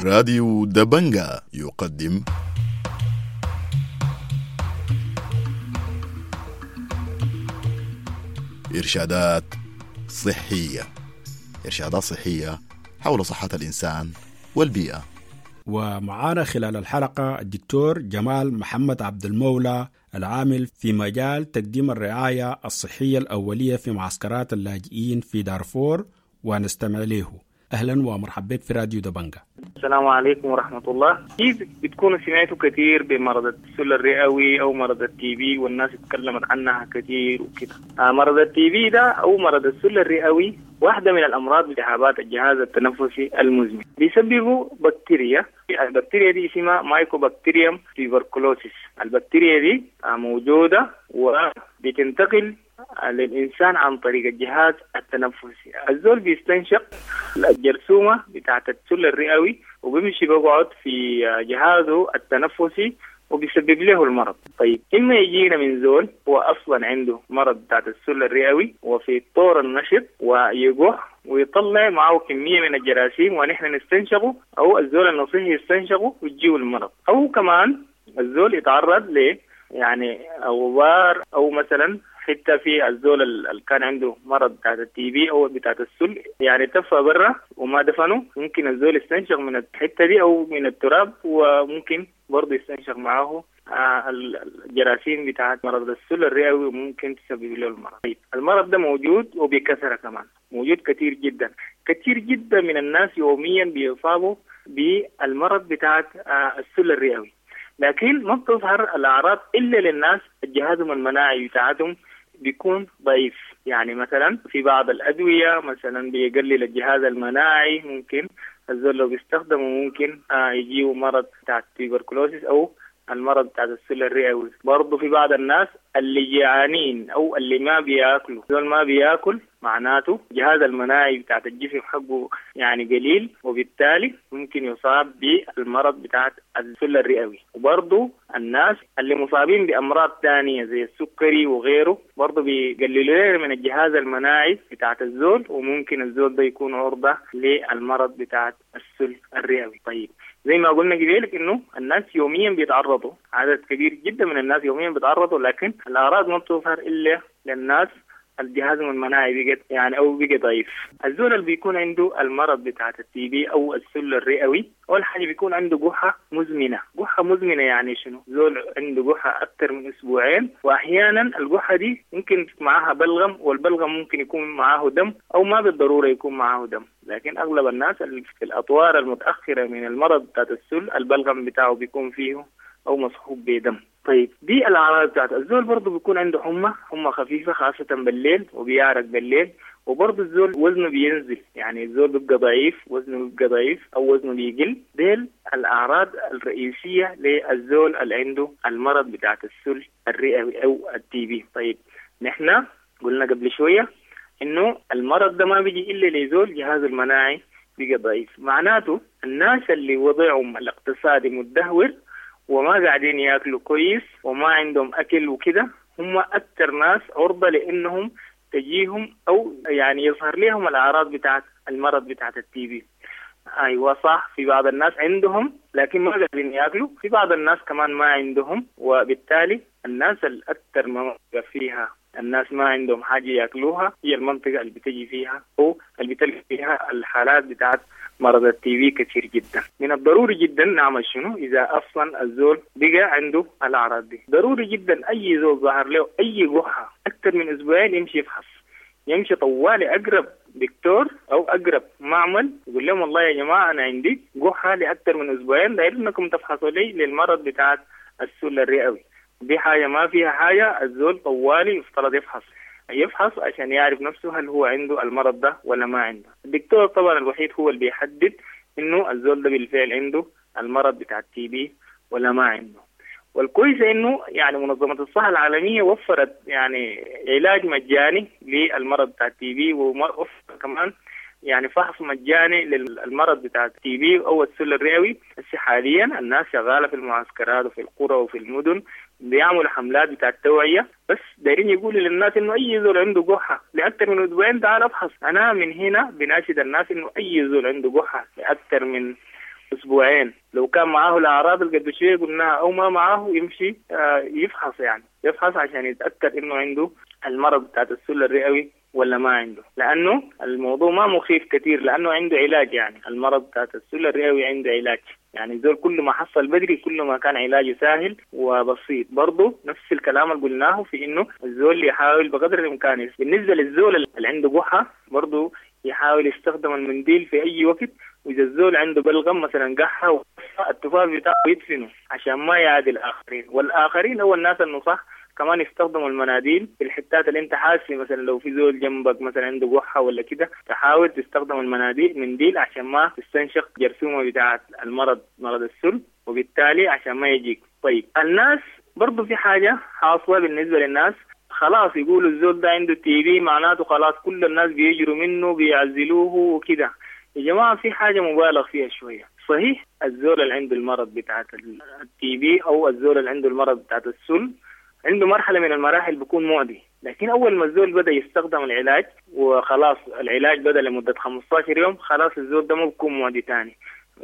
راديو دبنجا يقدم إرشادات صحية. إرشادات صحية حول صحة الإنسان والبيئة. ومعانا خلال الحلقة الدكتور جمال محمد عبد المولى العامل في مجال تقديم الرعاية الصحية الأولية في معسكرات اللاجئين في دارفور، ونستمع له. أهلا ومرحبا بك في راديو دبنجا. السلام عليكم ورحمة الله. كيف بتكونوا سمعتوا كثير بمرض السل الرئوي أو مرض ال TB، والناس اتكلمت عنها كثير وكده. آه مرض ال TB ده أو مرض السل الرئوي واحدة من الأمراض التهابات الجهاز التنفسي المزمن، بيسببه بكتيريا. البكتيريا دي اسمها Mycobacterium tuberculosis. البكتيريا دي موجودة وبتنتقل للإنسان عن طريق الجهاز التنفسي. الزول بيستنشق الجرثومة بتاعت السل الرئوي وبيمشي بيقعد في جهازه التنفسي وبيسبب له المرض. طيب إما يجينا من زول هو أصلا عنده مرض بتاعت السل الرئوي وفي طور النشط ويقح ويطلع معه كمية من الجراثيم ونحن نستنشقه، أو الزول النصيح يستنشقه ويجيه المرض. أو كمان الزول يتعرض ل يعني غبار أو مثلا حتى في الزول اللي كان عنده مرض بتاعت ال TB او بتاعت السل، يعني تفى برا وما دفنه، ممكن الزول يستنشق من الحته دي او من التراب، وممكن برضه يستنشق معاه الجراثيم بتاعت مرض السل الرئوي وممكن تسبب له المرض. طيب المرض ده موجود وبكثره كمان، موجود كثير جدا، كثير جدا من الناس يوميا بيصابوا بالمرض بتاعت السل الرئوي، لكن ما بتظهر الاعراض الا للناس جهازهم المناعي بتاعتهم بيكون ضعيف. يعني مثلا في بعض الأدوية مثلا بيقلل الجهاز المناعي، ممكن الزول لو بيستخدمه ممكن آه يجيه مرض بتاع ال tuberculosis أو المرض بتاع السل الرئوي. برضه في بعض الناس اللي جعانين أو اللي ما بياكلوا، زول ما بياكل معناته جهاز المناعي بتاع الجسم حقه يعني قليل، وبالتالي ممكن يصاب بالمرض بتاع السل الرئوي. وبرضه الناس اللي مصابين بأمراض تانية زي السكري وغيره برضه بيقللوا من الجهاز المناعي بتاع الزول، وممكن الزول ده يكون عرضة للمرض بتاع السل الرئوي. طيب زي ما قلنا قبلك انه الناس يوميا بيتعرضوا، عدد كبير جدا من الناس يوميا بيتعرضوا، لكن الاعراض ما بتظهر الا للناس الجهاز المناعي بقى يعني او بقى ضعيف. الزول اللي بيكون عنده المرض بتاع ال TB او السل الرئوي، اول حاجه بيكون عنده قحه مزمنه. قحه مزمنه يعني شنو؟ زول عنده قحه اكثر من اسبوعين، واحيانا القحه دي ممكن معاها بلغم، والبلغم ممكن يكون معاه دم او ما بالضروره يكون معاه دم، لكن اغلب الناس اللي في الاطوار المتاخره من المرض بتاع السل البلغم بتاعه بيكون فيه او مصحوب بدم. طيب دي الأعراض بتاعت الزول. برضه بيكون عنده حمى، حمى خفيفة خاصة بالليل، وبيعرق بالليل، وبرضه الزول وزنه بينزل، يعني الزول بيبقى ضعيف، وزنه بيبقى ضعيف أو وزنه بيقل. ديل الأعراض الرئيسية للزول اللي عنده المرض بتاعت السل الرئوي أو ال TB. طيب نحن قلنا قبل شوية إنه المرض ده ما بيجي إلا لزول جهازه المناعي بقى ضعيف، معناته الناس اللي وضعهم الاقتصادي متدهور وما قاعدين ياكلوا كويس وما عندهم أكل وكده، هم أكثر ناس عرضة لأنهم تجيهم أو يعني يظهر لهم الأعراض بتاعت المرض بتاعت ال TB. أيوة صح، في بعض الناس عندهم لكن ما قاعدين ياكلوا، في بعض الناس كمان ما عندهم، وبالتالي الناس الأكثر منطقة فيها الناس ما عندهم حاجة ياكلوها هي المنطقة اللي بتجي فيها أو اللي بتلقى فيها الحالات بتاعت مرض ال TB كثير جدا. من الضروري جدا نعمل شنو إذا أصلا الزول بقى عنده الأعراض دي؟ ضروري جدا أي زول ظهر له أي قحة أكثر من أسبوعين يمشي يفحص، يمشي طوالي أقرب دكتور أو أقرب معمل يقول لهم والله يا جماعة أنا عندي قحة لأكثر من أسبوعين، داير إنكم تفحصوا لي للمرض بتاعت السل الرئوي. دي حاجة ما فيها حاجة، الزول طوالي يفترض يفحص، يفحص عشان يعرف نفسه هل هو عنده المرض ده ولا ما عنده. الدكتور طبعا الوحيد هو اللي بيحدد انه الزول ده بالفعل عنده المرض بتاع ال TB ولا ما عنده. والكويس انه يعني منظمة الصحة العالمية وفرت يعني علاج مجاني للمرض بتاع ال TB، ووفرت كمان يعني فحص مجاني للمرض بتاع ال TB او السل الرئوي. بس حاليا الناس شغاله في المعسكرات وفي القرى وفي المدن بيعملوا حملات بتاع التوعية، بس دايرين يقولوا للناس انه اي زول عنده قحة لاكثر من اسبوعين تعال افحص. انا من هنا بناشد الناس انه اي زول عنده قحة لاكثر من اسبوعين لو كان معاه الاعراض اللي قبل شوية قلناها او ما معاه يمشي يفحص، يعني يفحص عشان يتاكد انه عنده المرض بتاعت السل الرئوي ولا ما عنده، لانه الموضوع ما مخيف كثير لانه عنده علاج. يعني المرض بتاعت السل الرئوي عنده علاج، يعني زول كل ما حصل بدري كل ما كان علاجه سهل وبسيط. برضه نفس الكلام اللي قلناه في انه الزول يحاول بقدر الامكان. بالنسبة للزول اللي عنده قحه برضه يحاول يستخدم المنديل في اي وقت، واذا الزول عنده بلغم مثلا قحه التفاف بتاعه يدفنه عشان ما يعادي الاخرين، والاخرين هو الناس النصح كمان يستخدموا المناديل في الحتات اللي انت حاسس مثلا لو في زول جنبك مثلا عنده قحه ولا كده تحاول تستخدم المناديل منديل عشان ما تستنشق جرثومة بتاعه المرض مرض السل، وبالتالي عشان ما يجيك. طيب الناس برضو في حاجة حاصله بالنسبة للناس، خلاص يقولوا الزول ده عنده TB معناته خلاص كل الناس بيجروا منه بيعزلوه وكده. يا جماعة في حاجة مبالغ فيها شوية. صحيح الزول اللي عنده المرض بتاعه ال TB او الزول اللي عنده المرض بتاعه السل عنده مرحلة من المراحل بيكون معدي، لكن أول ما الزول بدأ يستخدم العلاج وخلاص العلاج بدأ لمدة خمستاشر يوم خلاص الزول ده ما بيكون معدي تاني،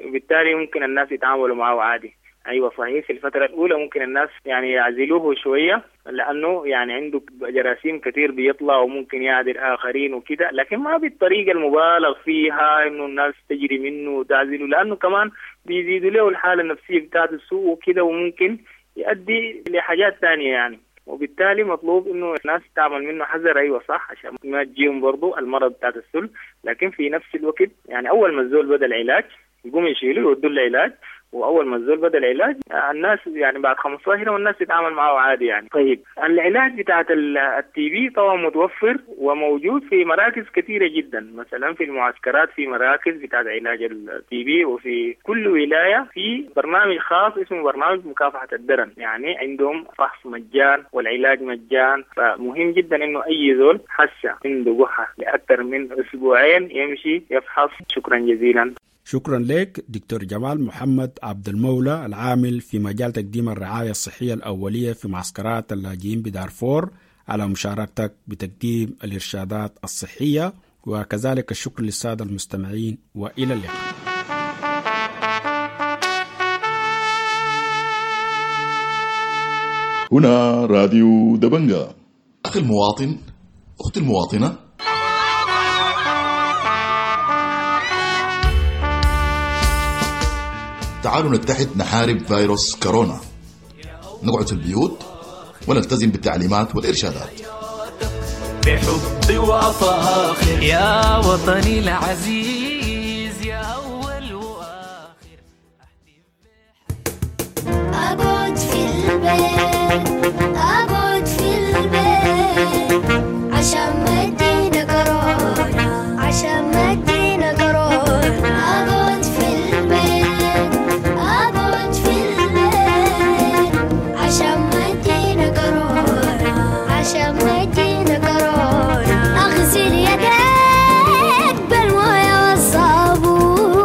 وبالتالي ممكن الناس يتعاملوا معه عادي. أيوة صحيح في الفترة الأولى ممكن الناس يعني يعزلوه شوية لأنه يعني عنده جراثيم كتير بيطلع وممكن يعدي الآخرين وكده، لكن ما بالطريقة المبالغ فيها إنه الناس تجري منه وتعزله، لأنه كمان بيزيدوا له الحالة النفسية بتاعت السوء وكده، وممكن يؤدي لحاجات ثانية يعني. وبالتالي مطلوب انه الناس تعمل منه حذر، ايوه صح، عشان ما تجيهم برضو المرض بتاعت السل، لكن في نفس الوقت يعني اول ما الزول بدا العلاج يقوم يشيلوه يودوا العلاج، واول ما الزول بدا العلاج الناس يعني بعد خمستاشر يوم الناس تتعامل معه عادي يعني. طيب العلاج بتاعت ال TB طبعا متوفر وموجود في مراكز كثيرة جدا، مثلا في المعسكرات في مراكز بتاعت علاج ال TB، وفي كل ولاية في برنامج خاص اسمه برنامج مكافحة الدرن، يعني عندهم فحص مجان والعلاج مجان. فمهم جدا انه اي زول حس عنده قحه لاكثر من اسبوعين يمشي يفحص. شكرا جزيلا. شكرا لك دكتور جمال محمد عبد المولى العامل في مجال تقديم الرعاية الصحية الأولية في معسكرات اللاجئين بدارفور على مشاركتك بتقديم الإرشادات الصحية، وكذلك الشكر للسادة المستمعين، وإلى اللقاء. هنا راديو دبنجا. أخي المواطن، أختي المواطنة، تعالوا نتحد نحارب فيروس كورونا، نقعد في البيوت ونلتزم بالتعليمات والإرشادات. بحب وفاخر يا وطني العزيز يا أول وآخر. أقعد في البيت، أقعد في البيت عشان ما تجينا كورونا، عشان ما تجينا كورونا. أقعد في البيت، أقعد في البيت عشان ما تجينا كورونا، عشان ما تجينا كورونا. أغسل يديك بالموية والصابون،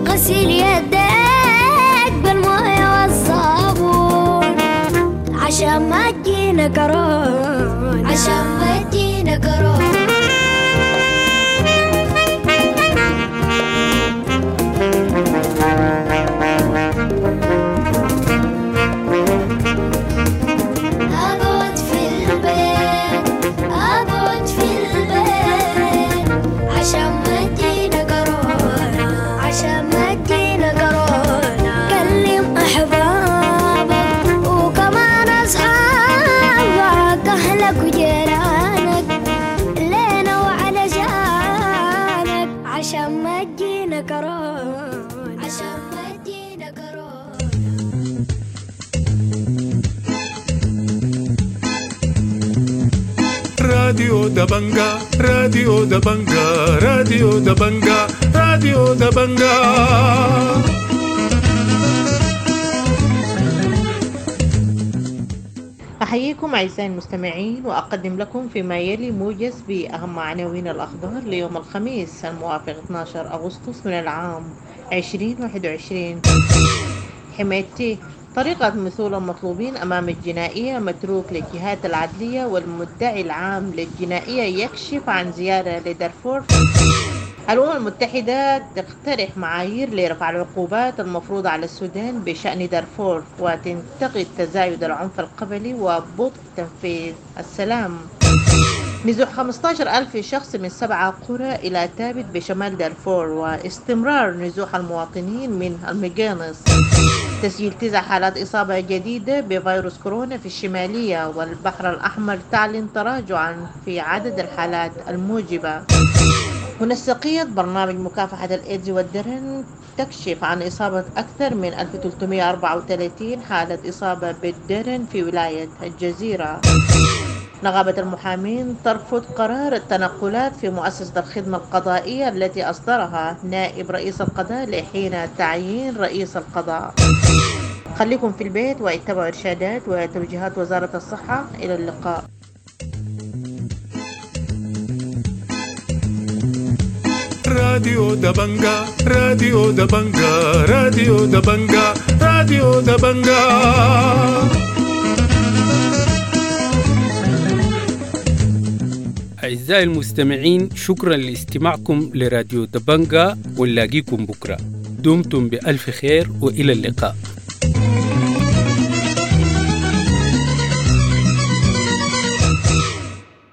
غسل يديك بالموية والصابون عشان ما تجينا كورونا، عشان ما تجينا كورونا. أقعد في البيت، أقعد في البيت عشان ما تجينا كورونا، عشان ما تجينا كورونا. كلم أحبابك وكمان أصحابك، أهلك وجيرانك لينا وعلى جانك عشان ما تجينا كورونا، عشان ما تجينا كورونا. راديو دبنجا، راديو دبنجا، راديو دبنجا، راديو دبنجا. أحييكم أعزائي المستمعين، وأقدم لكم فيما يلي موجز بأهم عناوين الأخبار ليوم الخميس الموافق اثني عشر أغسطس من العام ألفين وواحد وعشرين. حميدتي طريقة مثول المطلوبين أمام الجنائية متروك للجهات العدلية، والمدعي العام للجنائية يكشف عن زيارة لدارفور. الأمم المتحدة تقترح معايير لرفع العقوبات المفروضة على السودان بشأن دارفور، وتنتقد تزايد العنف القبلي وبطء تنفيذ السلام. نزوح خمسة عشر ألف شخص من سبعة قرى إلى تابت بشمال دارفور، واستمرار نزوح المواطنين من المقينص. تسجيل تسع حالات إصابة جديدة بفيروس كورونا في الشمالية، والبحر الأحمر تعلن تراجعا في عدد الحالات الموجبة. منسقية برنامج مكافحة الإيدز والدرن تكشف عن إصابة أكثر من ألف وثلاثمائة وأربعة وثلاثين حالة إصابة بالدرن في ولاية الجزيرة. نقابة المحامين ترفض قرار التنقلات في مؤسسة الخدمة القضائية التي أصدرها نائب رئيس القضاء لحين تعيين رئيس القضاء. خليكم في البيت واتبعوا إرشادات وتوجيهات وزارة الصحة. إلى اللقاء. راديو دبنجا، راديو دبنجا، راديو دبنجا، راديو دبنجا. أعزائي المستمعين، شكرا لاستماعكم لراديو دبنجا، ونلاقيكم بكرة. دمتم بألف خير وإلى اللقاء.